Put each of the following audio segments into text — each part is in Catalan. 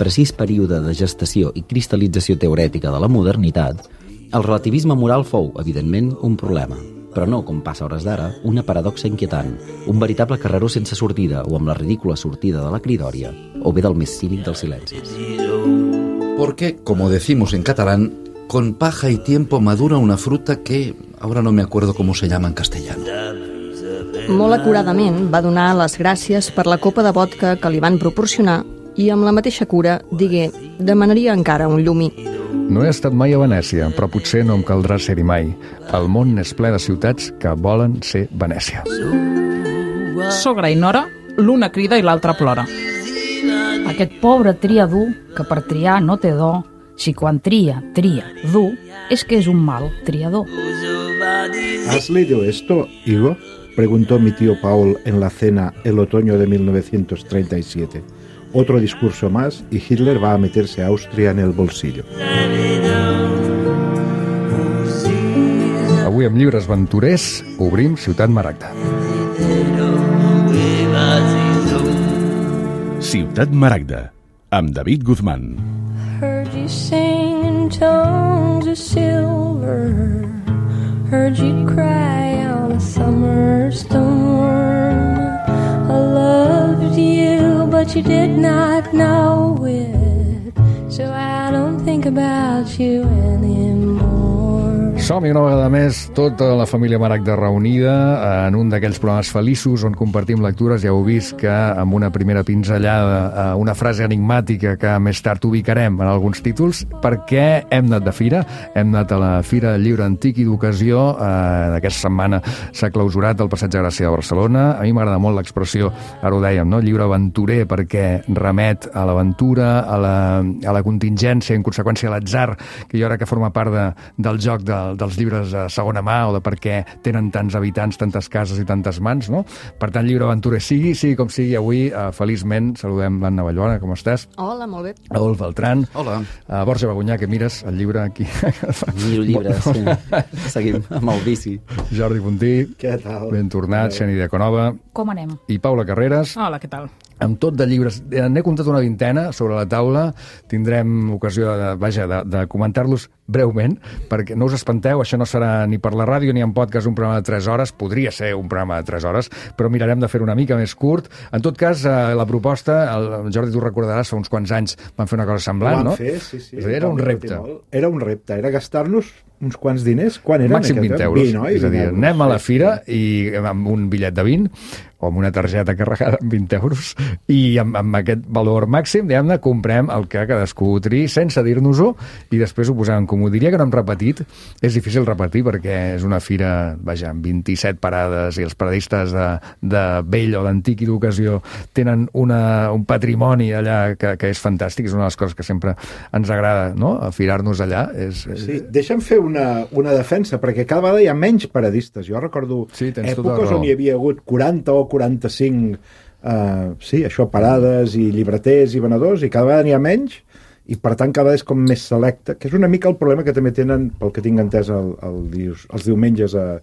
l'imprecís període de gestació i cristal·lització teorètica de la modernitat, el relativisme moral fou, evidentment, un problema. Però no, com passa a hores d'ara, una paradoxa inquietant, un veritable carreró sense sortida o amb la ridícula sortida de la cridòria, o bé del més cínic dels silencis. Porque, como decimos en catalán, con paja y tiempo madura una fruta que ahora no me acuerdo cómo se llama en castellano. Molt acuradament va donar les gràcies per la copa de vodka que li van proporcionar i amb la mateixa cura digué, demanaria encara un llumí. No he estat mai a Venècia, però potser no em caldrà ser-hi mai. El món és ple de ciutats que volen ser Venècia. Sogra i nora, l'una crida i l'altra plora. Aquest pobre tria dur, que per triar no té do, si quan tria, dur, és que és un mal triador. ¿Has leído esto, Igo? Preguntó mi tío Paul en la cena el otoño de 1937. Otro discurso más y Hitler va a meterse a Austria en el bolsillo. Avui amb llibres aventurers obrim Ciutat Maragda. Ciutat Maragda, amb David Guzmán. Heard you sing in tones of silver, heard you cry on a summer storm. I loved you, but you did not know it, so I don't think about you anymore. Som-hi una vegada més, tota la família Maragda reunida en un d'aquells programes feliços on compartim lectures. Ja heu vist que amb una primera pinzellada, una frase enigmàtica que més tard ubicarem en alguns títols, perquè hem anat de fira, hem anat a la Fira del Llibre Antic i d'Ocasió. Aquesta setmana s'ha clausurat el Passeig de Gràcia de Barcelona. A mi m'agrada molt l'expressió, ara ho dèiem, no? Llibre aventurer, perquè remet a l'aventura, a la contingència, en conseqüència a l'atzar, que jo crec que forma part del joc dels llibres de segona mà, o de per què tenen tants habitants, tantes cases i tantes mans, no? Per tant, llibre aventurer sigui com sigui. Avui, feliçment, saludem l'Anna Vallbona, com estàs? Hola, molt bé. Adolf Beltrán. Hola. Borja Bagunyà, que mires el llibre aquí. Miro llibres, sí. Seguim amb el bici. Jordi Puntí. Què tal? Ben tornat. Xeni Diaconova. Com anem? I Paula Carreras. Hola, què tal? Amb tot de llibres. N'he comptat una vintena sobre la taula. Tindrem ocasió de comentar-los breument, perquè no us espanteu, això no serà ni per la ràdio ni en podcast un programa de 3 hores, podria ser un programa de 3 hores, però mirarem de fer una mica més curt. En tot cas, la proposta, el Jordi, tu recordaràs, fa uns quants anys van fer una cosa semblant, no? Fer, sí. Era un repte. Era un repte, era gastar-nos uns quants diners. Quan eren? Màxim 20 euros. 20, oi? És a dir, anem a la fira i amb un bitllet de 20 o amb una targeta carregada amb 20 euros i amb aquest valor màxim, diguem-ne, comprem el que cadascú triï sense dir-nos-ho i després ho posem en comú. Diria que no hem repetit, és difícil repetir perquè és una fira, amb 27 parades i els paradistes de vell o d'antic i d'ocasió tenen un patrimoni allà que és fantàstic, és una de les coses que sempre ens agrada, no?, afirar-nos allà. Sí, deixa'm fer una defensa, perquè cada vegada hi ha menys paradistes. Jo recordo èpoques on hi havia hagut 40 o 45 parades i llibreters i venedors, i cada vegada n'hi ha menys, i per tant cada vegada és com més selecte, que és una mica el problema que també tenen, pel que tinc entès, els diumenges a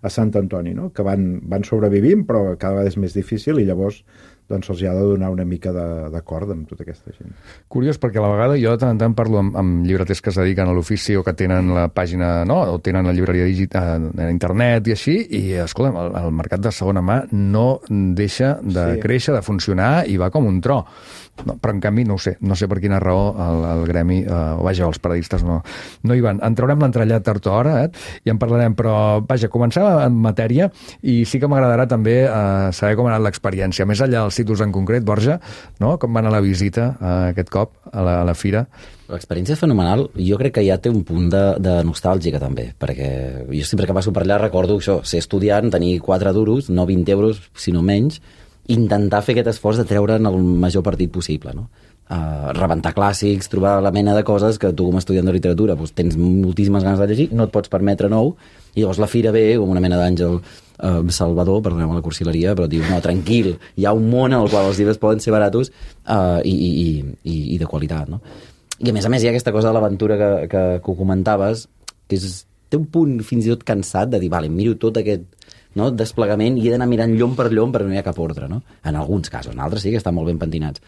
Sant Antoni, no? Que van sobrevivint, però cada vegada és més difícil i llavors doncs se'ls ha de donar una mica de corda amb tota aquesta gent. Curiós, perquè a la vegada jo de tant en tant parlo amb llibreters que es dediquen a l'ofici o que tenen la pàgina, no?, o tenen la llibreria digital a internet i així, i escolta, el mercat de segona mà no deixa de créixer, de funcionar, i va com un tro. No, però en canvi no sé per quina raó el gremi, els paradistes no hi van. En traurem l'entrellat tard o hora, i en parlarem, però comencem en matèria, i sí que m'agradarà també saber com ha anat l'experiència, més enllà dels títols en concret. Borja, no? Com va anar la visita aquest cop a la fira? L'experiència és fenomenal. Jo crec que ja té un punt de nostàlgica també, perquè jo sempre que passo per allà recordo això, ser estudiant, tenir 4 duros, no 20 euros, sinó menys, intentar fer aquest esforç de treure'n el major partit possible, no? Rebentar clàssics, trobar la mena de coses que tu com a estudiant de literatura tens moltíssimes ganes de llegir, no et pots permetre nou, i llavors la fira ve com una mena d'àngel salvador, perdoneu la cursileria, però diu, no, tranquil, hi ha un món en el qual els llibres poden ser baratos i de qualitat, no? I a més hi ha aquesta cosa de l'aventura que ho comentaves, que té un punt fins i tot cansat de dir, vale, miro tot aquest desplegament i he d'anar mirant llom per llom perquè no hi ha cap ordre, no? En alguns casos, en altres sí que estan molt ben pentinats.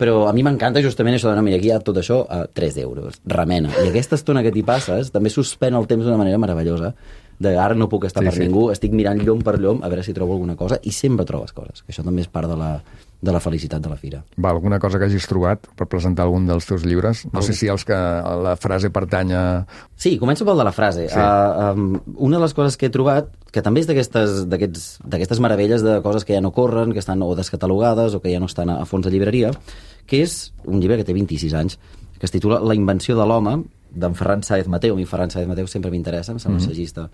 Però a mi m'encanta justament això de no, mira, aquí hi ha tot això a 3 euros, remena. I aquesta estona que t'hi passes també suspèn el temps d'una manera meravellosa, de ara no puc estar per ningú, estic mirant llom per llom a veure si trobo alguna cosa, i sempre trobes coses, que això també és part de la felicitat de la fira. Va, alguna cosa que hagis trobat per presentar algun dels teus llibres? No sé si els que la frase pertany a... Sí, començo pel de la frase. Sí. Una de les coses que he trobat, que també és d'aquestes meravelles de coses que ja no corren, que estan o descatalogades o que ja no estan a fons de llibreria, que és un llibre que té 26 anys, que es titula La invenció de l'home, d'en Ferran Sáez Mateu. A mi Ferran Sáez Mateu sempre m'interessa, em sembla un assagista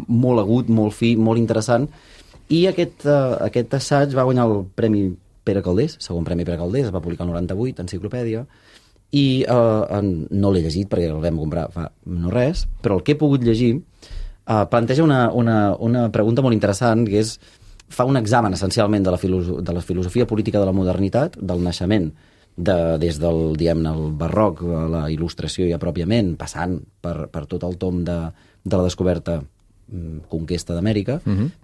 molt agut, molt fi, molt interessant, i aquest assaig va guanyar el Premi Pere Calders, segon Premi Pere Calders, es va publicar el 98, enciclopèdia, i no l'he llegit perquè el vam comprar fa no res, però el que he pogut llegir planteja una pregunta molt interessant, que és, fa un examen essencialment de la filosofia política de la modernitat, del naixement des del, diguem-ne, el barroc, la il·lustració ja pròpiament, passant per tot el tom de la descoberta, conquesta d'Amèrica,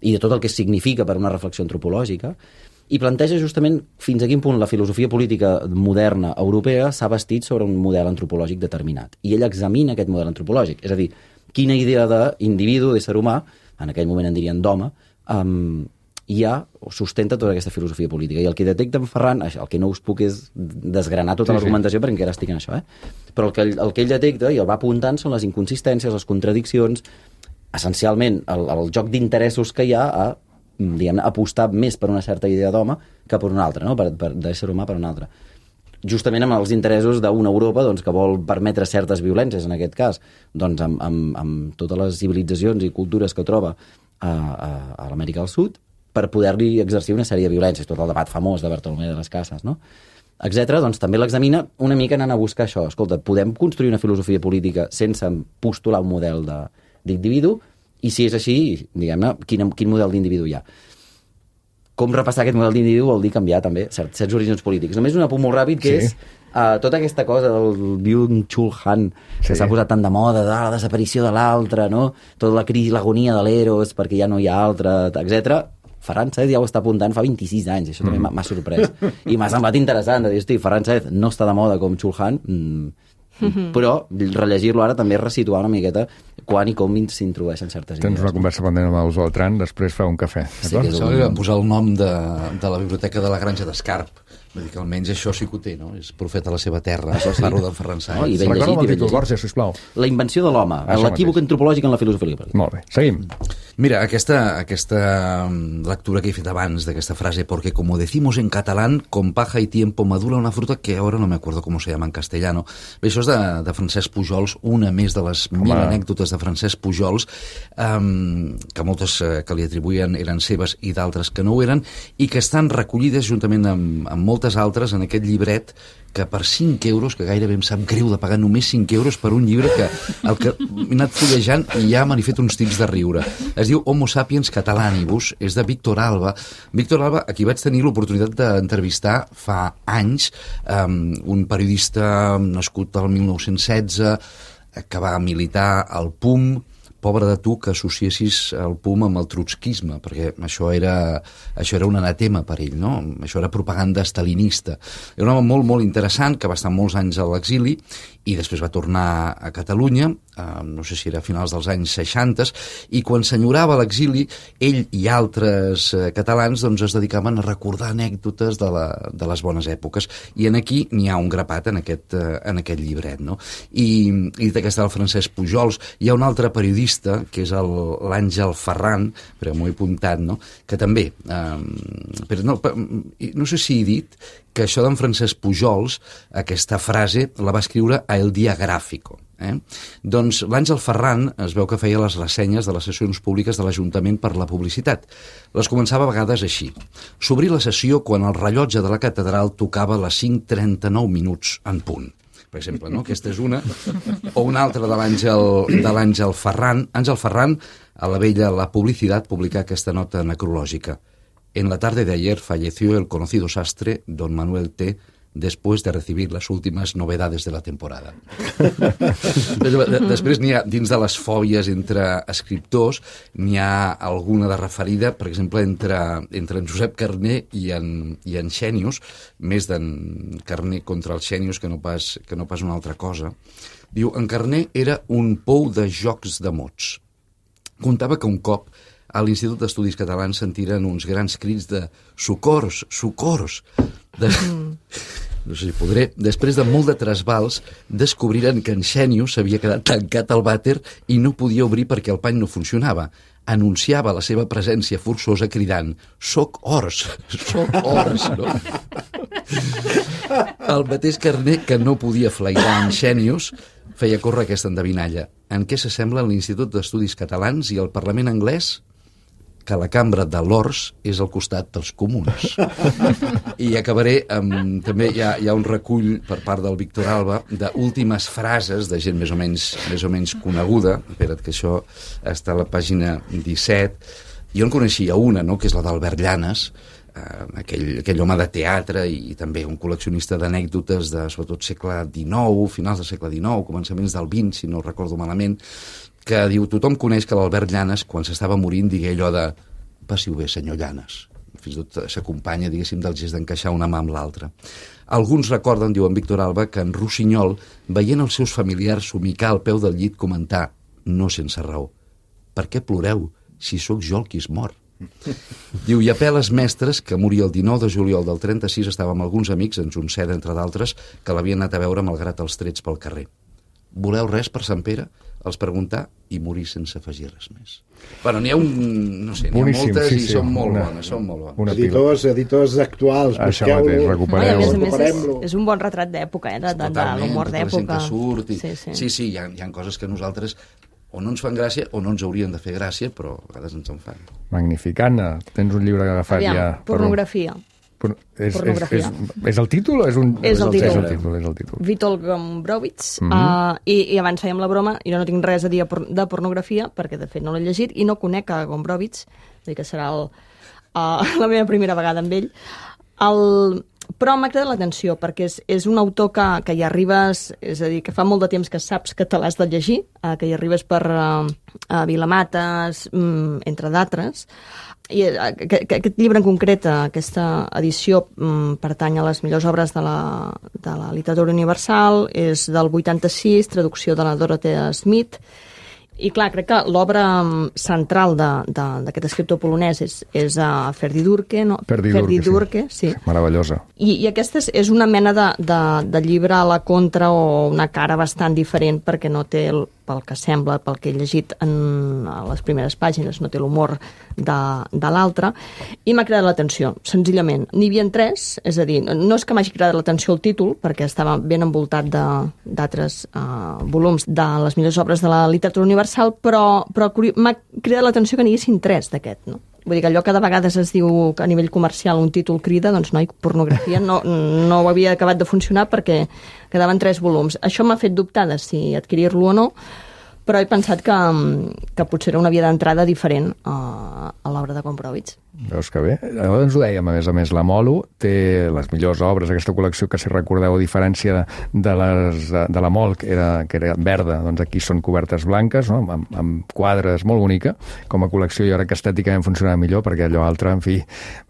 i de tot el que significa per una reflexió antropològica, i planteja justament fins a quin punt la filosofia política moderna europea s'ha bastit sobre un model antropològic determinat. I ell examina aquest model antropològic, és a dir, quina idea d'individu, d'ésser humà, en aquell moment en dirien d'home, ja sustenta tota aquesta filosofia política. I el que detecta en Ferran, el que no us puc és desgranar tota l'argumentació, perquè encara estic en això, però el que ell detecta i el va apuntant són les inconsistències, les contradiccions, essencialment el joc d'interessos que hi ha a, diguem-ne, apostar més per una certa idea d'home que per una altra, no? D'ésser humà per una altra. Justament amb els interessos d'una Europa doncs, que vol permetre certes violències, en aquest cas, doncs, amb totes les civilitzacions i cultures que troba a l'Amèrica del Sud, per poder-li exercir una sèrie de violències, tot el debat famós de Bartolomé de les Casas, no? Etcètera, doncs també l'examina una mica anant a buscar això. Escolta, podem construir una filosofia política sense postular un model d'individu? I si és així, diguem-ne, quin model d'individu hi ha? Com repassar aquest model d'individu vol dir canviar també certs orígens polítics. Només un apunt molt ràpid, que és tota aquesta cosa del Byung-Chul Han, que s'ha posat tan de moda, de la desaparició de l'altre, no? Tota la crisi, l'agonia de l'Eros, perquè ja no hi ha altre, etcètera. Ferran Sáez ja ho està apuntant fa 26 anys, això també m'ha sorprès. I m'ha semblat interessant, de dir, hosti, Ferran Sáez no està de moda com Chul Han, però rellegir-lo ara també és resituar una miqueta quan i com s'introdueixen certes idees. Tens una conversa pendent amb el Beltran, després fa un cafè. Sí, li van posar el nom de la biblioteca de la Granja d'Escarp. Vull dir que almenys això sí que ho té, no? És profeta a la seva terra. Això parlo d'en Ferran Sáez. No, i ben llegit, el títol, Borja, sisplau. La invenció de l'home, l'equívoc antropològic en la filosofia política. Molt bé, seguim. Mira, aquesta lectura que he fet abans d'aquesta frase, porque como decimos en catalán, con paja y tiempo madura una fruta que ahora no me acuerdo cómo se llama en castellano. Bé, això és de Francesc Pujols, una més de les 1000 anècdotes de Francesc Pujols, que moltes que li atribuïen eren seves i d'altres que no ho eren, i que estan recollides juntament amb moltes altres en aquest llibret que per 5 euros, que gairebé em sap greu de pagar només 5 euros per un llibre que el que he anat fullejant i ja m'han fet uns tics de riure. Es diu Homo sapiens catalanibus, és de Víctor Alba. Víctor Alba, a qui vaig tenir l'oportunitat d'entrevistar fa anys, un periodista nascut el 1916, que va militar al PUM. Pobre de tu que associessis el PUM amb el trotskisme, perquè això era un anatema per ell, no? Això era propaganda stalinista. Era un home molt, molt interessant, que va estar molts anys a l'exili i després va tornar a Catalunya, no sé si era a finals dels anys 60, i quan s'enyorava a l'exili, ell i altres catalans doncs, es dedicaven a recordar anècdotes de les bones èpoques. I aquí n'hi ha un grapat en aquest llibret, no? I dit que està el Francesc Pujols, hi ha un altre periodista, que és l'Àngel Ferran, però m'ho he apuntat, no? Que també, però no sé si he dit que això d'en Francesc Pujols, aquesta frase, la va escriure a El Día Gráfico. Doncs l'Àngel Ferran es veu que feia les ressenyes de les sessions públiques de l'Ajuntament per la publicitat. Les començava a vegades així. S'obrí la sessió quan el rellotge de la catedral tocava les 5:39 minuts en punt. Per exemple, no? Aquesta és una. O una altra de l'Àngel Ferran. Àngel Ferran, a la vella La Publicidad, publica aquesta nota necrològica. En la tarde de ayer falleció el conocido sastre don Manuel T., después de recibir las últimas novedades de la temporada. Després n'hi ha, dins de les fòbies entre escriptors, n'hi ha alguna de referida, per exemple, entre en Josep Carner i en Xènius, més d'en Carner contra els Xènius que no pas una altra cosa. Diu, en Carner era un pou de jocs de mots. Contava que un cop a l'Institut d'Estudis Catalans sentiren uns grans crits de «Socors! Socors!». No sé si podré. Després de molt de trasbals, descobriren que en Xènius s'havia quedat tancat al vàter i no podia obrir perquè el pany no funcionava. Anunciava la seva presència forçosa cridant «Soc ors! Soc ors!». No? El mateix Carner, que no podia flairar en Xènius, feia córrer aquesta endevinalla. En què s'assemblen l'Institut d'Estudis Catalans i el Parlament anglès? Que la cambra de l'Ors és al costat dels comuns. I acabaré amb... També hi ha un recull per part del Víctor Alba d'últimes frases de gent més o menys coneguda. Espera't, que això està a la pàgina 17. Jo en coneixia una, no?, que és la d'Albert Llanas, aquell home de teatre i també un col·leccionista d'anècdotes de, sobretot, segle XIX, finals del segle XIX, començaments del XX, si no ho recordo malament, que diu, tothom coneix que l'Albert Llanas, quan s'estava morint, digué allò de «Passi-ho bé, senyor Llanas». Fins i tot s'acompanya, diguéssim, del gest d'encaixar una mà amb l'altra. Alguns recorden, diu en Víctor Alba, que en Rossinyol, veient els seus familiars somicar al peu del llit, comentar, no sense raó, «Per què ploreu, si sóc jo el qui es mor?» Diu, i a peles mestres, que moria el 19 de juliol del 36, estava amb alguns amics, en Junceda, entre d'altres, que l'havien anat a veure malgrat els trets pel carrer. «Voleu res per Sant Pere?» els preguntar i morir sense afegir res més. Bueno, n'hi ha no sé, n'hi ha moltes i són molt bones. Editors actuals, busqueu-lo, recuperem-lo. És un bon retrat d'època, de l'humor d'època. Sí, hi ha coses que nosaltres o no ens fan gràcia o no ens haurien de fer gràcia, però a vegades ens en fan. Magnífic. Anna, tens un llibre agafat ja... Pornografia. És el títol o és un... És el títol. Witold Gombrowicz. I abans fèiem la broma, i jo no tinc res a dir de pornografia, perquè de fet no l'he llegit, i no conec a Gombrowicz, és a dir, que serà la meva primera vegada amb ell. Però m'ha cridat l'atenció, perquè és un autor que hi arribes, és a dir, que fa molt de temps que saps que te l'has de llegir, que hi arribes per Vilamates, entre d'altres. I aquest llibre en concret, aquesta edició, pertany a les millors obres de la literatura universal, és del 86, traducció de la Dorothea Smith. I clar, crec que l'obra central d'aquest escriptor polonès és Ferdi Durke, no? Ferdi Durke, sí. Meravellosa. I aquesta és una mena de llibre a la contra o una cara bastant diferent, perquè no té, pel que sembla, pel que he llegit a les primeres pàgines, no té l'humor de l'altre, i m'ha cridat l'atenció, senzillament. N'hi havia 3, és a dir, no és que m'hagi cridat l'atenció el títol, perquè estava ben envoltat d'altres volums de les millors obres de la literatura universal, però m'ha cridat l'atenció que n'hi haguessin 3 d'aquest, no? Vull dir que allò que de vegades es diu que a nivell comercial un títol crida, doncs no, pornografia no havia acabat de funcionar perquè quedaven 3 volums. Això m'ha fet dubtar de si adquirir-lo o no, però he pensat que potser era una via d'entrada diferent a l'obra de Gombrowicz. Veus que bé. Ens ho dèiem, a més, la Molo té les millors obres, aquesta col·lecció que, si recordeu, a diferència de la Mol, que era verda, doncs aquí són cobertes blanques, no? amb quadres, molt bonica, com a col·lecció. Jo crec que estèticament funcionava millor, perquè allò altre, en fi,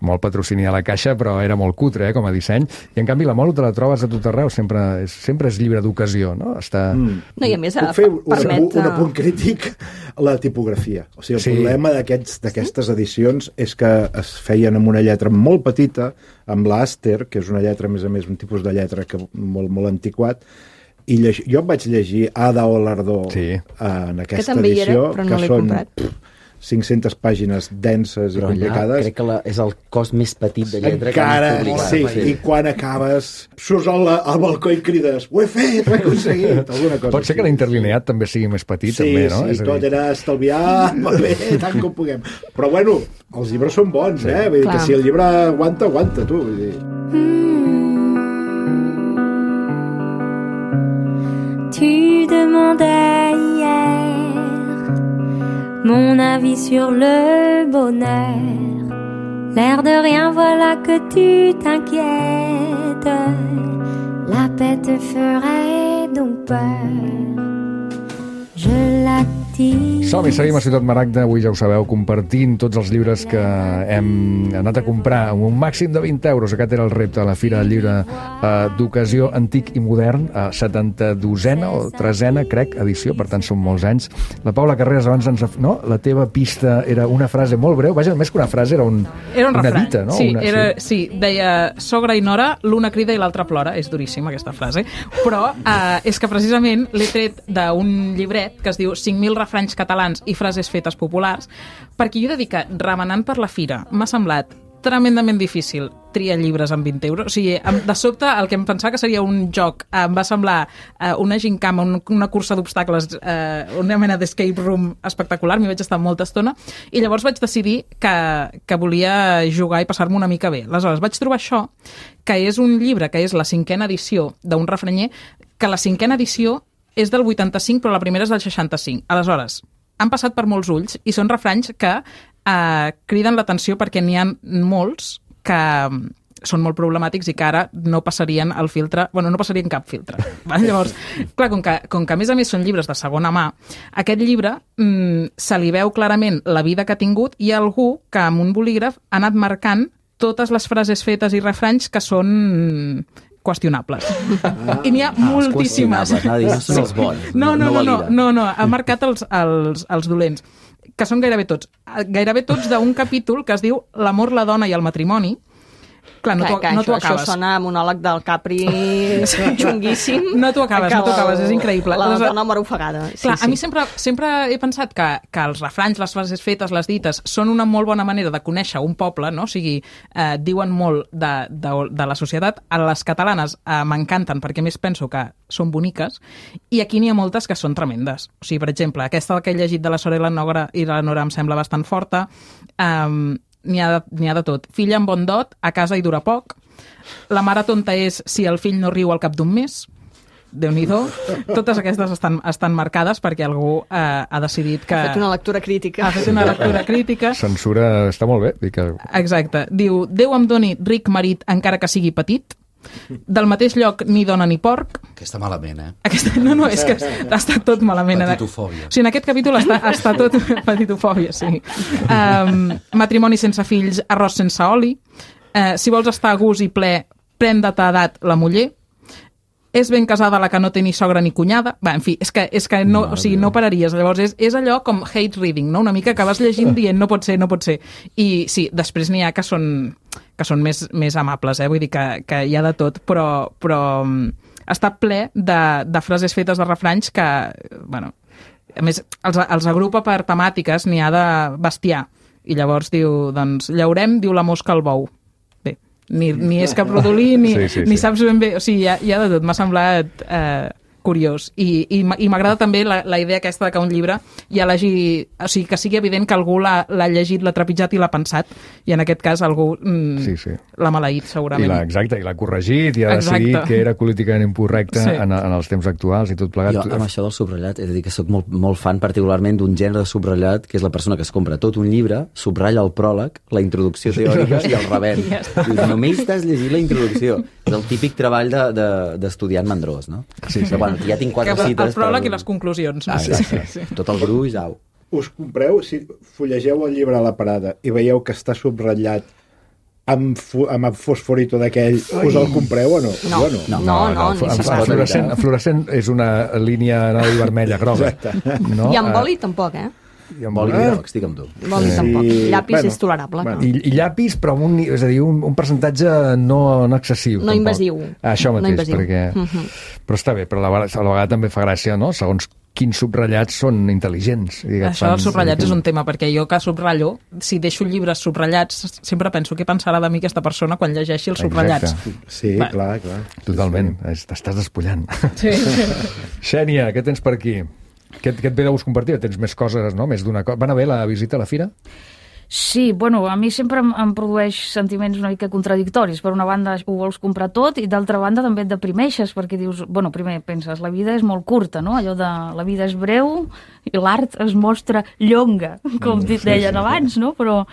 molt patrocini a la caixa, però era molt cutre, com a disseny. I, en canvi, la Molo te la trobes a tot arreu, sempre és llibre d'ocasió, no? No, i a més, puc fer un apunt crític a la tipografia. O sigui, el problema d'aquestes edicions és que es feien amb una lletra molt petita, amb l'Aster, que és una lletra, a més, un tipus de lletra molt, molt antiquat, i jo em vaig llegir Ada Olardó en aquesta edició, que són 500 pàgines denses i complicades. Crec que és el cos més petit de lletra encara, que han publicat. I quan acabes, surts al balcó i crides, ho he fet, ho he aconseguit, alguna cosa. Pot ser que l'interlineat també sigui més petit, també, no? Sí, tot era estalviar, bé, tant com puguem. Però bueno, els llibres són bons, Vull dir que si el llibre aguanta, tu. Vull dir. Tu demandais hier mon avis sur le bonheur. L'air de rien, voilà que tu t'inquiètes. La paix te ferait donc peur. Je l'active. Som-hi, seguim a Ciutat Maragda. Avui ja ho sabeu, compartint tots els llibres que hem anat a comprar amb un màxim de 20 euros. Aquest era el repte de la Fira del Llibre d'Ocasió Antic i Modern, 72a o 3a, crec, edició, per tant són molts anys. La Paula Carreras abans ens... No? La teva pista era una frase molt breu, vaja, més que una frase, era un una dita, no? Sí, sí, deia sogra i nora, l'una crida i l'altra plora. És duríssima aquesta frase, però és que precisament l'he tret d'un llibret que es diu 5.000 refranys catalans i frases fetes populars, perquè jo he de dir que, remenant per la fira, m'ha semblat tremendament difícil triar llibres amb 20 euros. O sigui, de sobte, el que em pensava que seria un joc em va semblar una gincama, una cursa d'obstacles, una mena d'escape room espectacular, m'hi vaig estar molta estona, i llavors vaig decidir que volia jugar i passar-me una mica bé. Aleshores, vaig trobar això, que és un llibre, que és la 5a edició d'un refranyer, que la 5a edició és del 85, però la primera és del 65. Aleshores, han passat per molts ulls i són refranys que criden l'atenció perquè n'hi ha molts que són molt problemàtics i que ara no passarien el filtre, no passarien cap filtre. Llavors, clar, com que a més són llibres de segona mà, aquest llibre se li veu clarament la vida que ha tingut i algú que amb un bolígraf ha anat marcant totes les frases fetes i refranys que són qüestionables. I n'hi ha moltíssimes. No són els bons. No, ha marcat els dolents, que són gairebé tots d'un capítol que es diu L'amor, la dona i el matrimoni. Clar, no t'ho acabes. Això sona a monòleg del Capri xunguíssim. No t'ho acabes, és increïble. La dona mor ofegada. Clar, a mi sempre he pensat que els refranys, les frases fetes, les dites, són una molt bona manera de conèixer un poble, no? O sigui, diuen molt de la societat. A les catalanes m'encanten perquè més penso que són boniques, i aquí n'hi ha moltes que són tremendes. O sigui, per exemple, aquesta que he llegit de la Sora i la Nora em sembla bastant forta. N'hi ha de tot. Filla amb bon dot, a casa i dura poc. La mare tonta és si el fill no riu al cap d'un mes. Déu-n'hi-do. Totes aquestes estan marcades perquè algú ha decidit que... Ha fet una lectura crítica. Ha fet una lectura crítica. Censura està molt bé. Exacte. Diu, Déu em doni ric marit encara que sigui petit. Del mateix lloc ni dona ni porc. Aquesta malament, No, és que ha estat tot malament. Petitofòbia. O sigui, en aquest capítol està tot petitofòbia, sí. Matrimoni sense fills, arròs sense oli. Si vols estar a gust i ple, pren de ta edat la muller. És ben casada la que no té ni sogra ni cunyada. En fi, és que no, o sigui, no pararies. Llavors és allò com hate reading, no? Una mica que vas llegint dient no pot ser. I sí, després n'hi ha que són més amables, vull dir que hi ha de tot, però està ple de frases fetes de refranys que, a més, els agrupa per temàtiques, n'hi ha de bestiar. I llavors diu, doncs, llaurem, diu la mosca al bou. Ni és cap rodolí, ni saps ben bé... O sigui, hi ha de tot. M'ha semblat curiós. I m'agrada també la idea aquesta que un llibre ja l'hagi... O sigui, que sigui evident que algú l'ha llegit, l'ha trepitjat i l'ha pensat. I en aquest cas algú l'ha maleït, segurament. Exacte, i l'ha corregit i ha decidit que era políticament incorrecte en els temps actuals i tot plegat. Jo, amb això del subratllat, he de dir que soc molt fan particularment d'un gènere de subratllat, que és la persona que es compra tot un llibre, subratlla el pròleg, la introducció teòrica i el revers. Dius, només t'has llegit la introducció. És el típic treball d'estudiant mandrós, no? Sí. Bueno, ja tinc 4 cites... El pròleg i les conclusions. Tot el gruix, au. Us compreu, si fullegeu el llibre a la parada i veieu que està subratllat amb fosforito d'aquell, us el compreu o no? No. En fluorescent és una línia vermella, groga. I amb boli tampoc, I amb boli groc, estic amb tu. Boli tampoc. Llapis és tolerable. I llapis, però és a dir, un percentatge no excessiu. No invasiu. Això mateix, perquè... Però està bé, però a la vegada també fa gràcia, no? Segons quins subratllats són intel·ligents. Això dels subratllats és un tema, perquè jo que subratllo, si deixo llibres subratllats, sempre penso què pensarà de mi aquesta persona quan llegeixi els subratllats. Sí, clar. Totalment, t'estàs despullant. Sí. Xènia, què tens per aquí? Què et ve de gust compartir? Tens més coses, no? Més d'una cosa. Va anar bé la visita a la fira? Sí, bueno, a mi sempre em produeix sentiments una mica contradictoris. Per una banda ho vols comprar tot i d'altra banda també et deprimeixes perquè dius, bueno, primer penses, la vida és molt curta, no? Allò de la vida és breu i l'art es mostra llonga, com deien abans, no? Però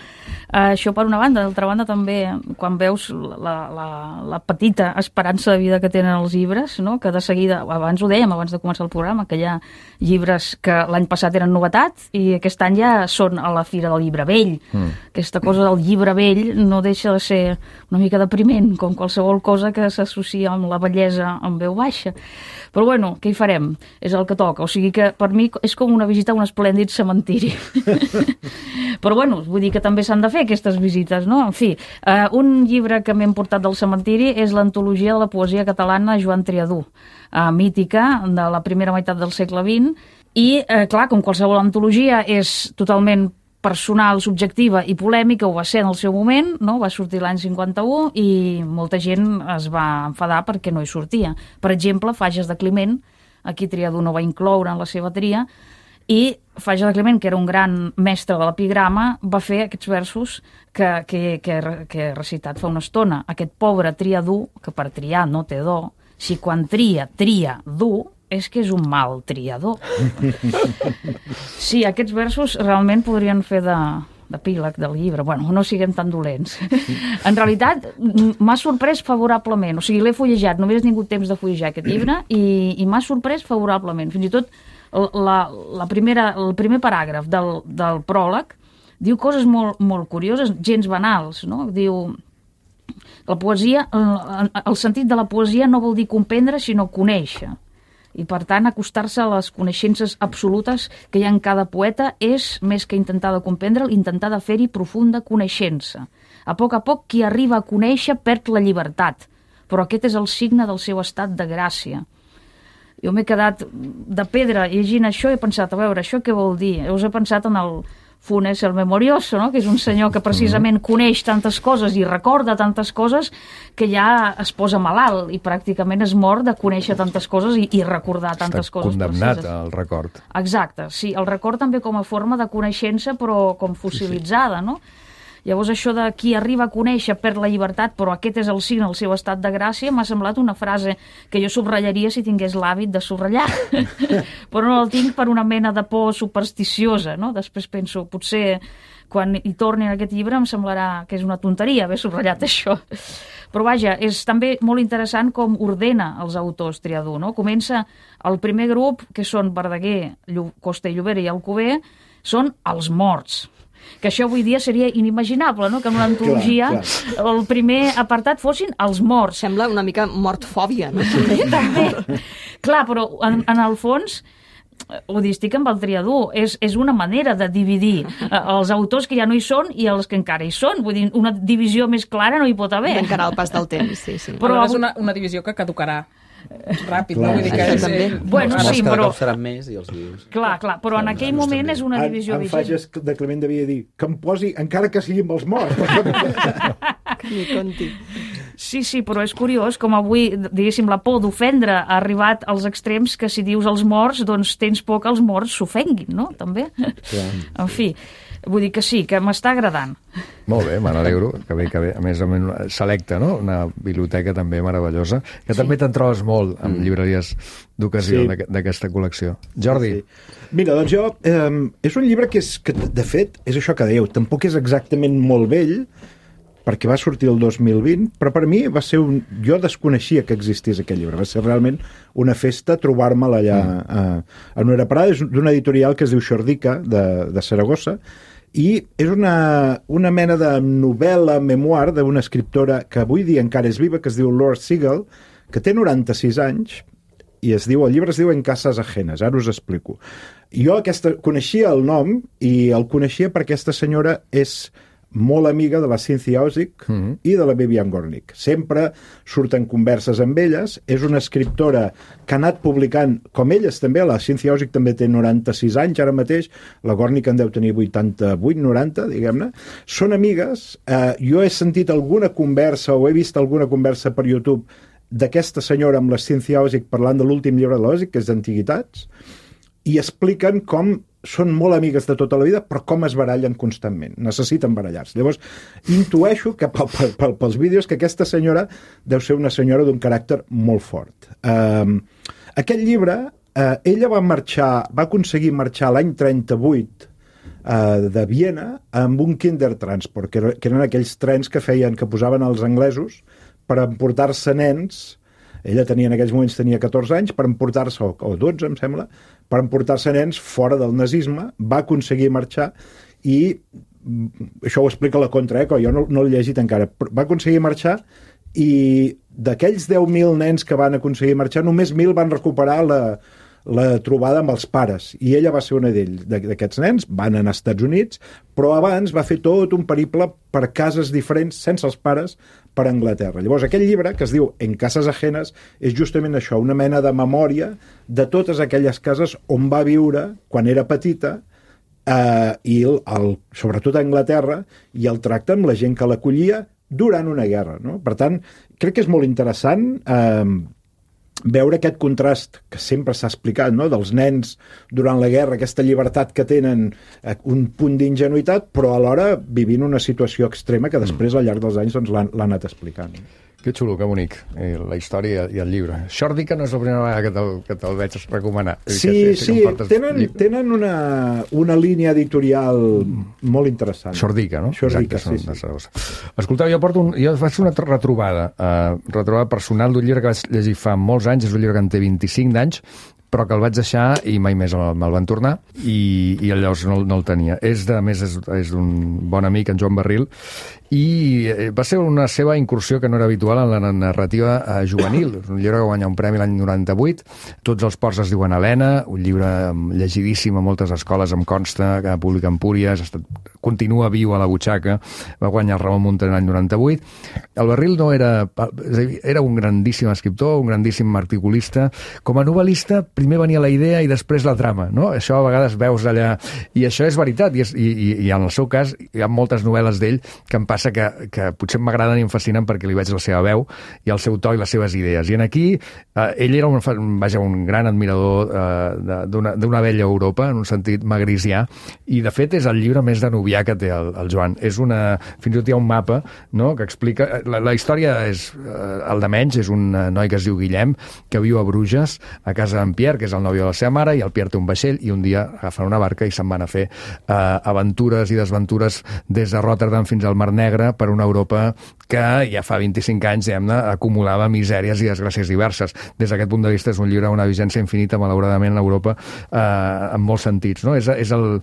això per una banda. D'altra banda també, quan veus la petita esperança de vida que tenen els llibres, no? Que de seguida, abans ho dèiem, abans de començar el programa, que hi ha llibres que l'any passat eren novetat i aquest any ja són a la Fira del Llibre Vell. Aquesta cosa del llibre vell no deixa de ser una mica depriment, com qualsevol cosa que s'associa amb la bellesa en veu baixa. Però bueno, què hi farem? És el que toca. O sigui que per mi és com una visita a un esplèndid cementiri. Però bueno, vull dir que també s'han de fer aquestes visites, no? En fi, un llibre que m'he portat del cementiri és l'antologia de la poesia catalana Joan Triadú, mítica, de la primera meitat del segle XX, i clar, com qualsevol antologia és totalment personal, subjectiva i polèmica, ho va ser en el seu moment, no? Va sortir l'any 51 i molta gent es va enfadar perquè no hi sortia. Per exemple, Fages de Climent, aquí Triadú no va incloure en la seva tria, i Fages de Climent, que era un gran mestre de l'epigrama, va fer aquests versos que he recitat fa una estona. Aquest pobre Triadú, que per triar no té do, si quan tria dur, és que és un mal triador. Sí, aquests versos realment podrien fer d'epíleg del llibre. Bueno, no siguem tan dolents. En realitat, m'ha sorprès favorablement. O sigui, l'he fullejat, només he tingut temps de fullejar aquest llibre i m'ha sorprès favorablement. Fins i tot el primer paràgraf del pròleg diu coses molt curioses, gens banals, no? Diu... La poesia, el sentit de la poesia no vol dir comprendre, sinó conèixer. I, per tant, acostar-se a les coneixences absolutes que hi ha en cada poeta és, més que intentar de comprendre'l, intentar de fer-hi profunda coneixença. A poc, qui arriba a conèixer perd la llibertat, però aquest és el signe del seu estat de gràcia. Jo m'he quedat de pedra llegint això i he pensat, a veure, això què vol dir? Us he pensat en el Funes el Memorioso, no? Que és un senyor que precisament coneix tantes coses i recorda tantes coses que ja es posa malalt i pràcticament es mor de conèixer tantes coses i recordar tantes coses. Està condemnat al record. Exacte, sí. El record també com a forma de coneixença però com fossilitzada, no? Llavors això de qui arriba a conèixer perd la llibertat, però aquest és el signe del seu estat de gràcia, m'ha semblat una frase que jo subratllaria si tingués l'hàbit de subratllar. Però no el tinc per una mena de por supersticiosa, no? Després penso, potser quan hi torni en aquest llibre em semblarà que és una tonteria haver subratllat això. Però vaja, és també molt interessant com ordena els autors Triadú, no? Comença el primer grup, que són Verdaguer, Costa i Llobera i Alcover, són els morts. Que això avui dia seria inimaginable, no? Que en una antologia el primer apartat fossin els morts. Sembla una mica mortfòbia, no? També. Clar, però en el fons ho distic amb el Triadú, és una manera de dividir els autors que ja no hi són i els que encara hi són. Vull dir, una divisió més clara no hi pot haver. D'encarar el pas del temps, sí. Però és una divisió que caducarà ràpid, no? Vull dir que bueno, sí, però... seran més i els vius. Clar, però en aquell moment és una divisió vigent. En Fages de Climent devia dir que em posi, encara que sigui amb els morts. Que m'hi conti. Sí, però és curiós com avui, diguéssim, la por d'ofendre ha arribat als extrems que si dius els morts, doncs tens por que els morts s'ofenguin, no? També. En fi, vull dir que sí, que m'està agradant. Molt bé, me n'alegro, que bé. A més, selecta, no? Una biblioteca també meravellosa, que també te'n trobes molt amb llibreries d'ocasió d'aquesta col·lecció. Jordi. Sí. Mira, doncs jo... és un llibre que, de fet, és això que dèieu, tampoc és exactament molt vell, perquè va sortir el 2020, però per mi va ser jo desconeixia que existís aquest llibre. Va ser realment una festa trobar-me'l allà a Nuera Prada. És d'una editorial que es diu Xordica, de Saragossa, i és una mena de novel·la, memoir d'una escriptora que avui dia encara és viva, que es diu Laura Segal, que té 96 anys, i el llibre es diu En cases ajenes, ara us explico. Jo coneixia el nom, i el coneixia perquè aquesta senyora és molt amiga de la Cynthia Ozick i de la Vivian Gornick. Sempre surten converses amb elles. És una escriptora que ha anat publicant, com elles també, la Cynthia Ozick també té 96 anys ara mateix, la Gornick en deu tenir 88, 90, diguem-ne. Són amigues. Jo he sentit alguna conversa o he vist alguna conversa per YouTube d'aquesta senyora amb la Cynthia Ozick parlant de l'últim llibre de l'Ozick, que és d'Antiguitats, i expliquen com són molt amigues de tota la vida, però com es barallen constantment. Necessiten barallar-se. Llavors, intueixo que pels vídeos que aquesta senyora deu ser una senyora d'un caràcter molt fort. Aquest llibre, ella va aconseguir marxar l'any 38 de Viena amb un Kindertransport, que eren aquells trens que posaven els anglesos per emportar-se nens. Ella en aquells moments tenia 14 anys, per emportar-se, o 12 em sembla, per emportar-se nens fora del nazisme. Va aconseguir marxar i això ho explica la Contra, jo no l'he llegit encara. Va aconseguir marxar i d'aquells 10.000 nens que van aconseguir marxar, només 1.000 van recuperar la trobada amb els pares, i ella va ser una d'aquests nens. Van anar als Estats Units, però abans va fer tot un periple per cases diferents, sense els pares, per Anglaterra. Llavors, aquest llibre, que es diu En cases ajenes, és justament això, una mena de memòria de totes aquelles cases on va viure quan era petita, i sobretot a Anglaterra, i el tracte amb la gent que l'acollia durant una guerra, no? Per tant, crec que és molt interessant veure aquest contrast que sempre s'ha explicat, no? Dels nens durant la guerra, aquesta llibertat que tenen, un punt d'ingenuïtat, però alhora vivint una situació extrema que després al llarg dels anys l'ha anat explicant. Que xulo, que bonic, la història i el llibre. Xòrdica no és la primera vegada que te'l veig recomanar. Sí, tenen una línia editorial molt interessant. Xòrdica, no? Xòrdica, sí. Escolteu, jo faig una retrobada personal d'un llibre que vaig llegir fa molts anys, és un llibre que en té 25 d'anys, però que el vaig deixar i mai més me'l van tornar, i llavors no el tenia. És d'un bon amic, en Joan Barril, i va ser una seva incursió que no era habitual en la narrativa juvenil. És un llibre que va guanyar un premi l'any 98, Tots els ports es diuen Helena, un llibre llegidíssim a moltes escoles, em consta, que publica Empúries, continua viu a la butxaca, va guanyar el Ramon Muntaner l'any 98. El Barril no era un grandíssim escriptor, un grandíssim articulista. Com a novel·lista, primer venia la idea i després la trama, no? Això a vegades veus allà, i això és veritat, i en el seu cas hi ha moltes novel·les d'ell que em passa que potser m'agraden i em fascinen perquè li veig la seva veu i el seu to i les seves idees. I en aquí, ell era un gran admirador d'una vella Europa, en un sentit magrisià, i de fet és el llibre més danubià que té el Joan. Fins i tot hi ha un mapa, no?, que explica... La història és el de menys, és un noi que es diu Guillem, que viu a Bruges, a casa d'en Pierre, que és el nòvio de la seva mare, i el Pierre té un vaixell, i un dia agafen una barca i se'n van a fer aventures i desventures des de Rotterdam fins al Mar Negre, per una Europa que ja fa 25 anys, diguem-ne, acumulava misèries i desgràcies diverses. Des d'aquest punt de vista és un llibre d'una vigència infinita, malauradament, a Europa, en molts sentits, no? És el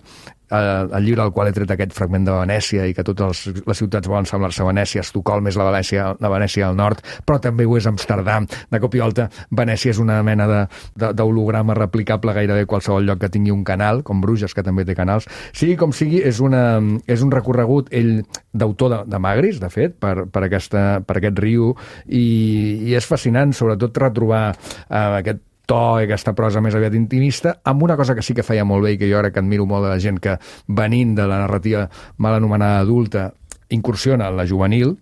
llibre al qual he tret aquest fragment de Venècia i que totes les ciutats volen semblar-se a Venècia. Estocolm és la Venècia del nord, però també ho és Amsterdam. De cop i volta, Venècia és una mena d'holograma replicable gairebé a qualsevol lloc que tingui un canal, com Bruges, que també té canals. Sigui com sigui, és un recorregut, ell, d'autor de Magris, de fet, per aquest riu, i és fascinant, sobretot, retrobar aquest to i aquesta prosa més aviat intimista, amb una cosa que sí que feia molt bé i que jo crec que admiro molt de la gent que, venint de la narrativa mal anomenada adulta, incursiona en la juvenil,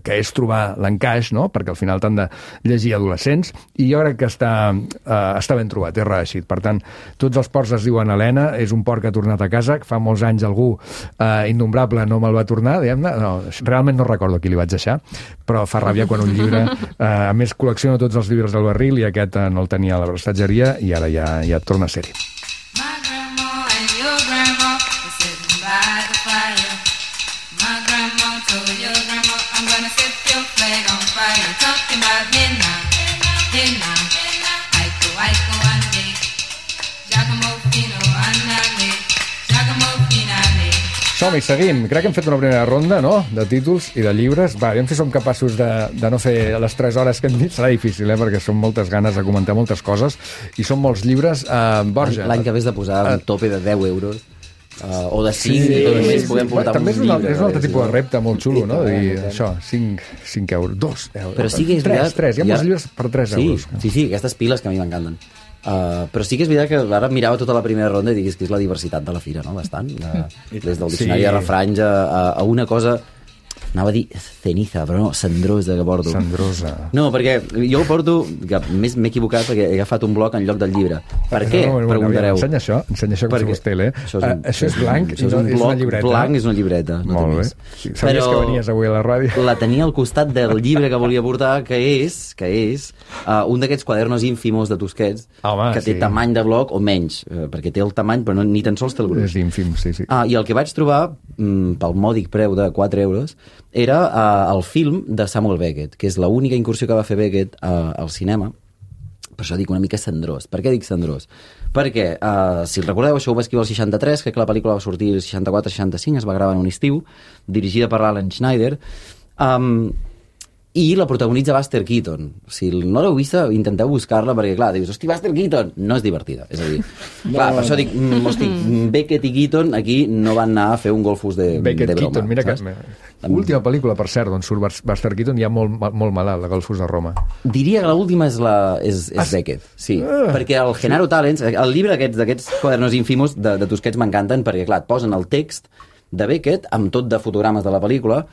que és trobar l'encaix, no?, perquè al final t'han de llegir adolescents, i jo crec que està ben trobat, és reeixit. Per tant, Tots els ports es diuen Helena, és un port que ha tornat a casa, que fa molts anys algú innombrable no me'l va tornar, diguem-ne, no, realment no recordo qui li vaig deixar, però fa ràbia quan un llibre, a més col·lecciono tots els llibres del Barril, i aquest no el tenia a la prestatgeria, i ara ja torna a ser-hi. My grandma and your grandma were sitting by the fire. My grandma told your grandma, I'm gonna set your flag on fire. Talking about hey now, Aiko ande, Giacomo Fino andale, Giacomo Finale. Som-hi, seguim. Crec que hem fet una primera ronda, no?, de títols i de llibres. Va, aviam si som capaços de no fer les 3 hores que hem dit. Serà difícil, perquè són moltes ganes de comentar moltes coses i són molts llibres. Borja. L'any que vés de posar un tope de 10 euros. O de 5, i només podem portar un llibre. També és un altre tipus de repte molt xulo, no? De dir, això, 5 euros, 2 euros. Però sí que és veritat... 3, hi ha molts llibres per 3 euros. Sí, aquestes piles que a mi m'encanten. Però sí que és veritat que ara mirava tota la primera ronda i diguis que és la diversitat de la fira, no? Bastant. Des del diccionari de refranys a una cosa... Anava a dir ceniza, però no, cendrosa que porto. Cendrosa. No, perquè jo ho porto, que més m'he equivocat perquè he agafat un bloc en lloc del llibre. Per què? Preguntareu. Ensenya això com si fos tele. Això és blanc i això és una llibreta. Blanc és una llibreta. No molt bé. Sabies que venies avui a la ràdio? La tenia al costat del llibre que volia portar, que és un d'aquests quadernos ínfimos de Tusquets, que té tamany de bloc o menys, perquè té el tamany però ni tan sols té el gruix. És ínfim, sí. I el que vaig trobar, pel mòdic preu de 4 euros, era el film de Samuel Beckett, que és l'única incursió que va fer Beckett al cinema. Per això dic una mica cendrós. Per què dic cendrós? Perquè, si recordeu, això ho va escriure el 63, crec que la pel·lícula va sortir el 64-65, es va gravar en un estiu, dirigida per Alan Schneider, i la protagonitza Buster Keaton. Si no l'heu vista, intenteu buscar-la, perquè, clar, dius, hosti, Buster Keaton! No és divertida. És a dir, clar, per això dic, hosti, Beckett i Keaton aquí no van anar a fer un golfos de broma. Keaton, mira que... L'última pel·lícula, per cert, on surt Buster Keaton ja molt malalt, la Golfos de Roma. Diria que l'última és Beckett, sí. Perquè el Genaro Talents, el llibre d'aquests quadernos ínfimos de Tusquets m'encanten, perquè, clar, et posen el text de Beckett amb tot de fotogrames de la pel·lícula.